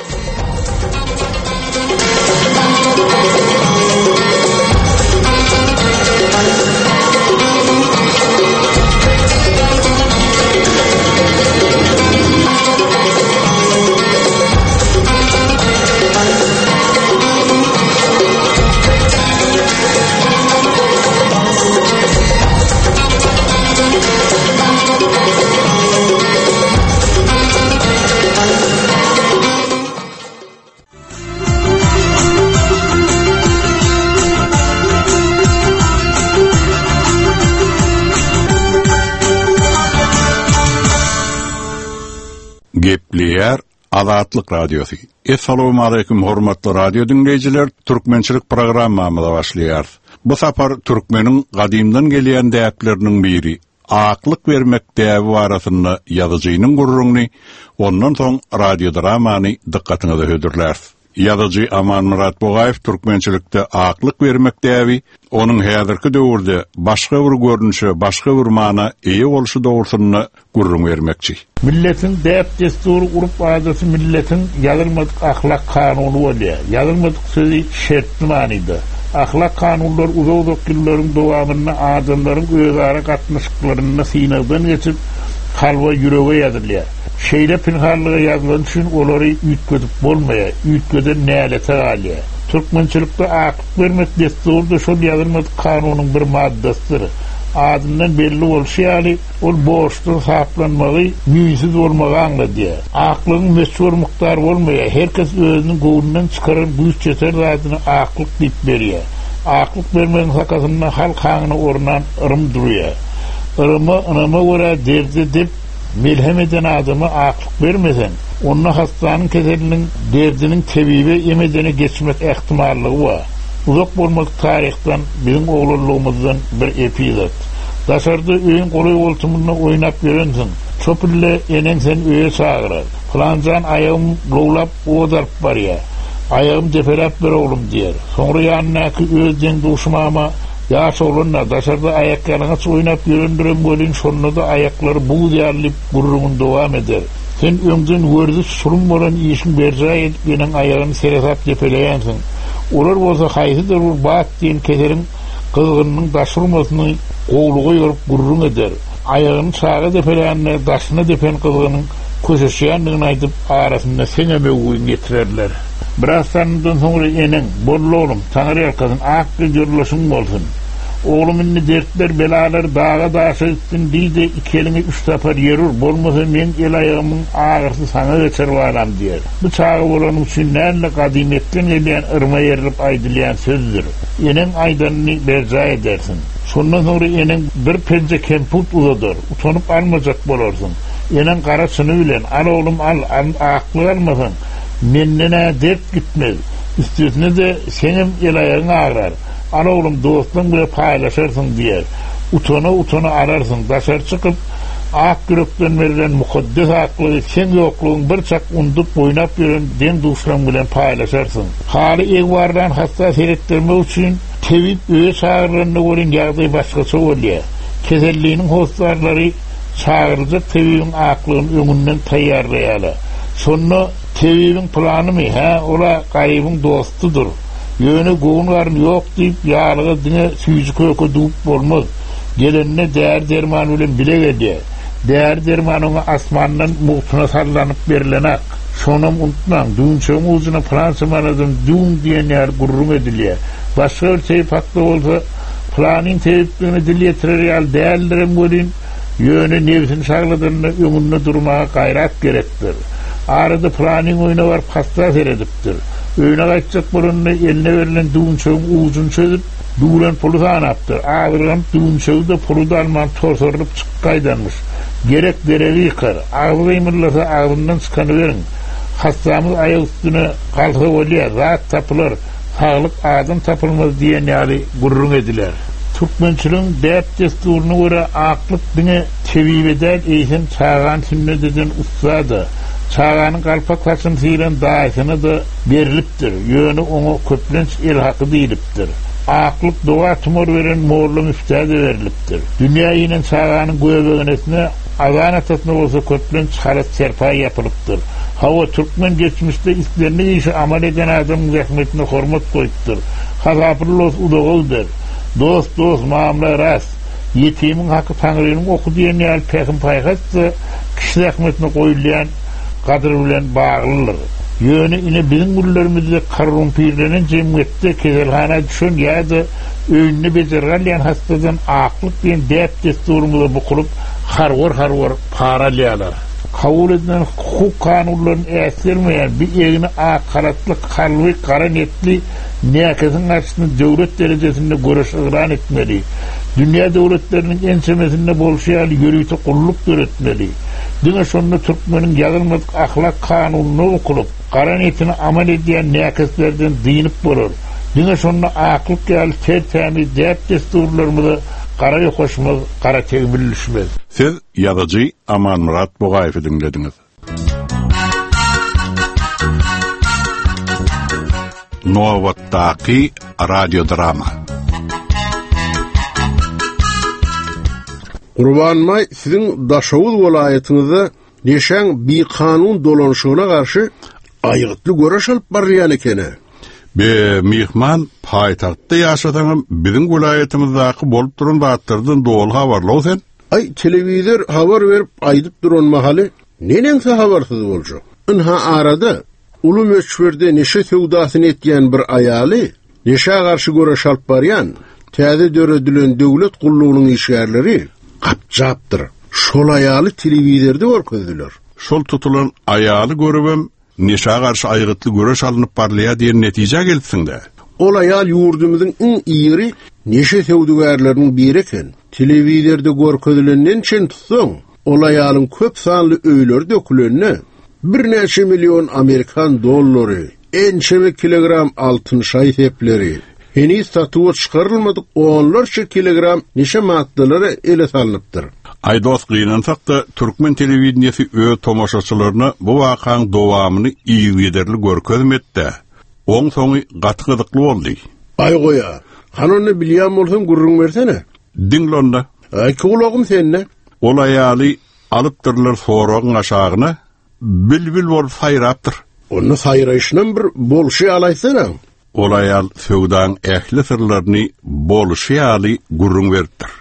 Gepleýär Azatlyk Radiosy. Essalawmaleýkim hormatly radio diňleýjiler, türkmençilik programmamyza başlaýarys. Bu sapar türkmeniň gadymdan gelýän däpleriniň biri, aklyk bermek däbi barasynda ýazyjynyň gürrüňini, ondan soň radiodramany dykgatyňyza hödürläris. Ýazyjy Amanmyrat Bugaýew türkmençilikde aklyk bermek däbi, onuň häzirki döwürde başga bir görnüşe, başga bir mana eýe bolşy dogrusynda gürrüň bermekçi. Milletiň däp-dessury, urp-adaty milletiň ýazylmadyk ahlak kanuny bolýar. Ýazylmadyk sözi şertli manyda. Ahlak kanunlar uzak-uzak ýyllaryň dowamynda adamlaryň özara gatnaşyklarynda synagdan geçip, kalba, ýürege ýazylýar. Şeýle pinhanlyga ýazylany üçin olary üýtgedip bolmaýar, üýtgeden nälete galýar. Türkmençilikde aklyk bermek dessury-da şol ýazylmadyk kanunyň bir maddasydyr. Adyndan belli bolşy ýaly, ol borçdan saplanmagy, müýnsüz bolmagy aňladýar. Aklygyň möçber-mukdary bolmaýar, her kes özüniň göwnünden çykaran güýç ýeter zadyny aklyk diýip berýär. Aklyk bermegiň sakasynda halk aňyna ornan yrym durýar. Yryma, ynama görä derde dep Melhem eden adama aklyk bermeseň, onda hassanyň keseliniň derdiniň tebibe em edene geçmek ähtimallygy bar. Uzak bolmadyk taryhdan, biziň oglanlygymyzdan bir epizod. Daşarda öýüň golaý-goltumynda oýnap ýörensiň. Şo pille eneň seni öýe çagyrar. Pylanjan aýagym lowlap ot alyp barýa. Aýagym depeläp ber oglum diýer. Soňra ýanyndaky öz deň-duşy mama Ýaş oglan-da, daşarda aýakýalaňaç oýnap ýörendirem welin, şonda-da aýaklary buz ýaly diýip, gürrüňini dowam eder. Sen öňden werziş sulum bolan işiň berjaý edip eneň aýagyny seresap depeleýänsiň. Olar bolsa haýsydyr bir bat diýen keseliň gyzgynynyň daş urmasyny gowluga ýorup gürrüň eder. Aýagyny çaga depelände daşyna depen gyzgynyň köşeşýändigini aýdyp, arasynda seňem öwgüňi ýetirerler. Biraz salymdan soňra eneň, Boldy oglum, Taňry ýalkasyn, ak gyz ýoldaşyň bolsun. Oglum indi dertler, belalar daga-daşa gitsin diý-de, iki eliňi üç sapar ýer ur, bolmasa meň el-aýagymyň agyrysy saňa geçer balam diýer. Bu çaga bolanyň üçin däl-de, gadymyýetden gelýän yrma ýerilip aýdylýan sözdür. Eneň aýdanyny berjaý edersiň. Şondan soňra eneň bir penje kemput uzadar, utanyp almajak bolarsyň. Eneň gara çyny bilen, Al oglum al, aklyk almasaň, Menden-ä dert gitmez. Üstesine-de, seňem el-aýagyň agrar. Al oglum, dostlaň bile paýlaşarsyň diýer. Utana-utana alarsyň. Daşary çykyp, ak ýürekden berlen mukaddes aklygy seň ýoklugyň bir çak undup oýnap ýören deň-duşlaň bilen paýlaşarsyň. Haly egbarlan hassa seretdirmek üçin tebip öýe çagyrylanda welin ýagdaý başgaça bolýar. Keselliniň hossarlary çagyryljak tebibiň aklygyny öňünden taýýarlaýarlar. Şonda Tebibiň planymy, hä, ol-a garybyň dostudyr. Ýöne göwün-garyn ýok diýip, ýalyga diňe süýji-köke düwüp bolmaz. Gelende däri-derman bilen bile gelýär. Däri-derman oňa asmandan mugtuna sallanyp berlenak. Şonam unutmaň, düwünçegiň ujuna pylança manadam düwüň diýen ýaly gürrüň edilýär. Başga bir tebip hakda bolsa, Pylanyň tebipligine dil ýetirer ýaly däldirem welin, ýöne nebsini şagladanda öňünde durmaga gaýrat gerekdir. Arada pylanyň öýüne baryp hassa seredipdir. Öýüne gaýtjak bolanda eline berlen düwünçegiň ujuny çözüp, düwlen puly sanapdyr. Azyrganyp düwünçegi-de, puly-da alman torsarylyp çykyp gaýdanmyş. Gerek deregi ýykar. Agzy gymyldasa agzyndan çykany beriň. Hassamyz aýak üstüne galsa bolýa, zat tapylar. Saglyk adam tapylmaz diýen ýaly gürrüň ediler. Türkmençiligiň däp-dessuryna görä aklyk diňe tebibe däl, eýsem çagany sünnet eden ussa-da, çaganyň galpak saçyny syran daýysyna-da berlipdir, ýöne oňa köplenç el haky diýlipdir. Aklyk doga-tumar beren molla-müftä-de berlipdir. Dünýä inen çaganyň göbegenesine, azan atasyna bolsa köplenç halat-serpaý ýapylypdyr. Hawa, türkmen geçmişde islendik işi amal eden adamyň zähmetine hormat goýupdyr. Hasaply los uzaga gider. Dost, dost, mamla rast. Ýetimiň haky Taňrynyň oky diýen ýaly pähim-paýhas-da kişi zähmetine goýulýan gadyr bilen baglydyr. Ýöne ine biziň günlerimizde korrumpirlenen jemgyýetde keselhana düşen ýa-da öýünde bejergi alýan hassadan aklyk diýen däp-dessurymyza bukulyp harwar-harwar para alýarlar. Kabul edilen hukuk kanunlaryny äsgermeýän, bir egni ak halatly, kalby gara netli näkesiň garşysyna döwlet derejesinde göreş yglan etmeli. Dünýä döwletleriniň ençemesinde bolşy ýaly ýörite gulluk döretmeli. Diňe şonda türkmeniň ýazylmadyk ahlak kanunyna bukulyp, gara netini amal edýän näkeslerden dynyp bolar. Diňe şonda aklyk ýaly ter-tämiz däp-dessurlarymyza gara ýokaşmaz, gara tegmil düşmez. Siz ýazyjy Amanmyrat Bugaýewi diňlediňiz. Nobatdaky radiodrama. Gurbanbaý siziň Daşoguz welaýatyňyzda neşäň bikanun dolanyşygyna garşy aýgytly göreş alyp barylýan ekeni. Be, myhman, paýtagtda ýaşasaňam biziň welaýatymyzdaky bolup duran zatlardan doly habarly-ow sen. Aý, telewizor habar berip aýdyp duran mahaly neneňsi habarsyz boljak? Ynha arada uly möçberde neşe söwdasyny etýän bir aýaly neşä garşy göreş alyp barýan täze döredilen döwlet gullugynyň işgärleri gapjapdyr. Şol aýaly telewizorda görkezdiler. Şol tutulan aýaly görübem Neşä garşy aýgytly göreş alnyp barylýar diýen netijä gelipsiň-dä? Ol aýal ýurdumyzyň iň iri neşe söwdagärleriniň biri eken. Telewizorda görkezilenden çen tutsaň, ol aýalyň köp sanly öýleri dökülende, birnäçe million amerikan dollary, ençeme kilogram altyn şaý-sepleri, Heniz satuwa çykarylmadyk onlarça kilogram neşe maddalary ele salnypdyr. Aý dost gynansak-da türkmen telewideniýesi öz tomaşaçylaryna bu wakaň dowamyny yzgiderli görkezmedi-dä. Oň soňy gaty gyzykly boldy. Aý goýa. Hany onda bilýän bolsaň gürrüň bersene. Diňle onda. Aý gulagym sende. Ol aýaly alypdyrlar soragyň aşagyna, bilbil bolup saýrapdyr. Onda saýraýşynam bir bolşy ýaly aýtsana. Ol aýal söwdaň ähli syrlaryny bolşy ýaly gürrüň beripdir.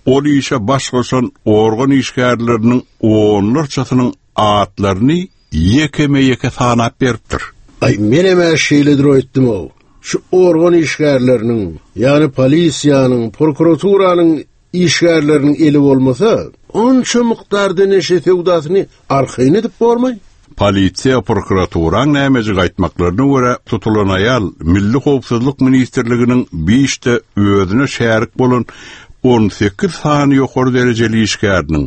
Ol işe baş goşan organ işgärleriniň onlarçasynyň atlaryny ýekeme-ýeke sanap beripdir. Aý, menem-ä şeýledir öýtdüm-ow. Şu organ işgärleriniň, ýagny polisiýanyň, prokuraturanyň Işgärleriniň eli bolmasa, onça mukdarda neşe söwdasyny arkaýyn edip bormaý? Polisiýa, prokuraturaň nämejik aýtmaklaryna görä, tutulan aýal Milli howpsuzlyk ministrliginiň bir işde özüne şärik bolan 18 sany ýokary derejeli işgäriniň,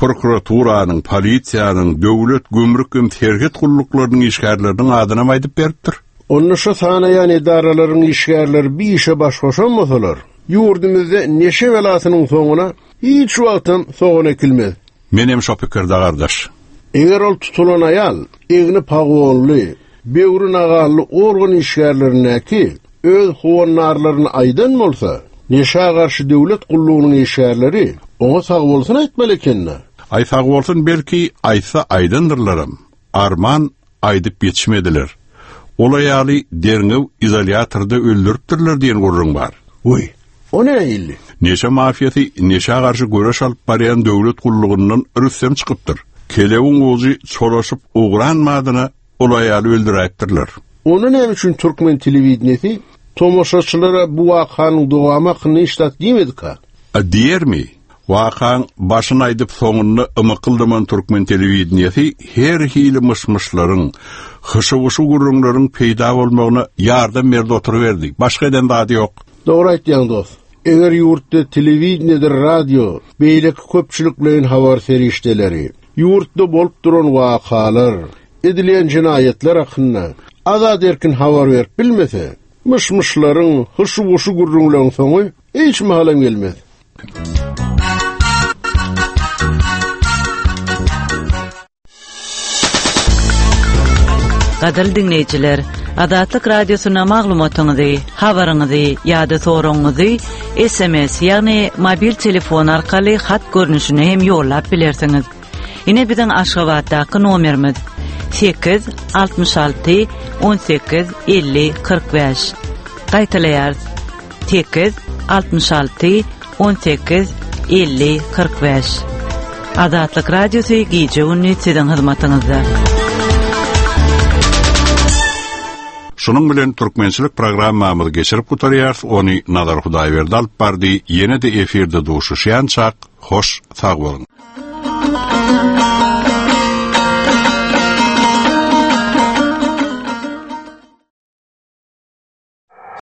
prokuraturanyň, polisiýanyň, döwlet gümrük hem serhet gulluklarynyň işgärleriniň adynam aýdyp beripdir. Onda şo sanaýan edaralaryň işgärleri bir işe baş goşan bolsalar, Ýurdumyzda neşe belasynyň soňuna hiç wagtam sogan ekilmez. Menem şo pikirde gardaş. Eger ol tutulan aýal egni pagonly, böwri nagally organ işgärlerindäki öz howandarlaryny aýdan bolsa, neşä garşy döwlet gullugynyň işgärleri oňa sagbolsun aýtmaly eken-dä. Aý sagbolsun belki aýtsa aýdandyrlaram. Arman aýdyp ýetişmediler. Ol aýaly derňew izolýatorda öldüripdirler diýen gürrüň bar. Wiý, o nähili? Neşe mafiýasy neşä garşy göreş alyp barýan döwlet gullugyndan rüstem çykypdyr. Kelebiň ujy çolaşyp ugran badyna ol aýaly öldüräýipdirler. Onda näme üçin türkmen telewideniýesi tomaşaçylara bu wakanyň dowamy hakynda hiç zat diýmedika? A diýermi? Wakaň başyny aýdyp soňunda ymykyldaman türkmen telewideniýesi her hili myş-myşlaryň, hyşy-wyşy gürrüňleriň peýda bolmagyna ýardam berdi oturyberdi. Başga eden zady ýok. Dogry aýtýaň dost. Eger ýurtda telewideniýedir radio, beýleki köpçülikleýin habar serişdeleri ýurtda bolup duran wakalar, edilýän jenaýatlar hakynda azat-erkin habar berip bilmese, Myş-myşlaryň, hyşy-wuşy gürrüňleriň soňy hiç mahalam gelmez. Gadyrly diňleýjiler, Azatlyk Radiosyna maglumatyňyzy, habaryňyzy ýa-da soragyňyzy SMS, ýagny mobil telefon arkaly hat görnüşinde hem ýollap bilersiňiz. Ine biziň Aşgabatdaky nomerimiz 8 66 18 50 45. Gaýtalaýarys. 8 66 18 50 45. Azatlyk Radiosy gije-gündiz siziň hyzmatyňyzda. Şunuň bilen türkmençilik programmamyzy geçirip gutarýarys, ony Nazar Hudaýberdi alyp bardy, ýene-de efirde duşuşýançak, hoş sag boluň!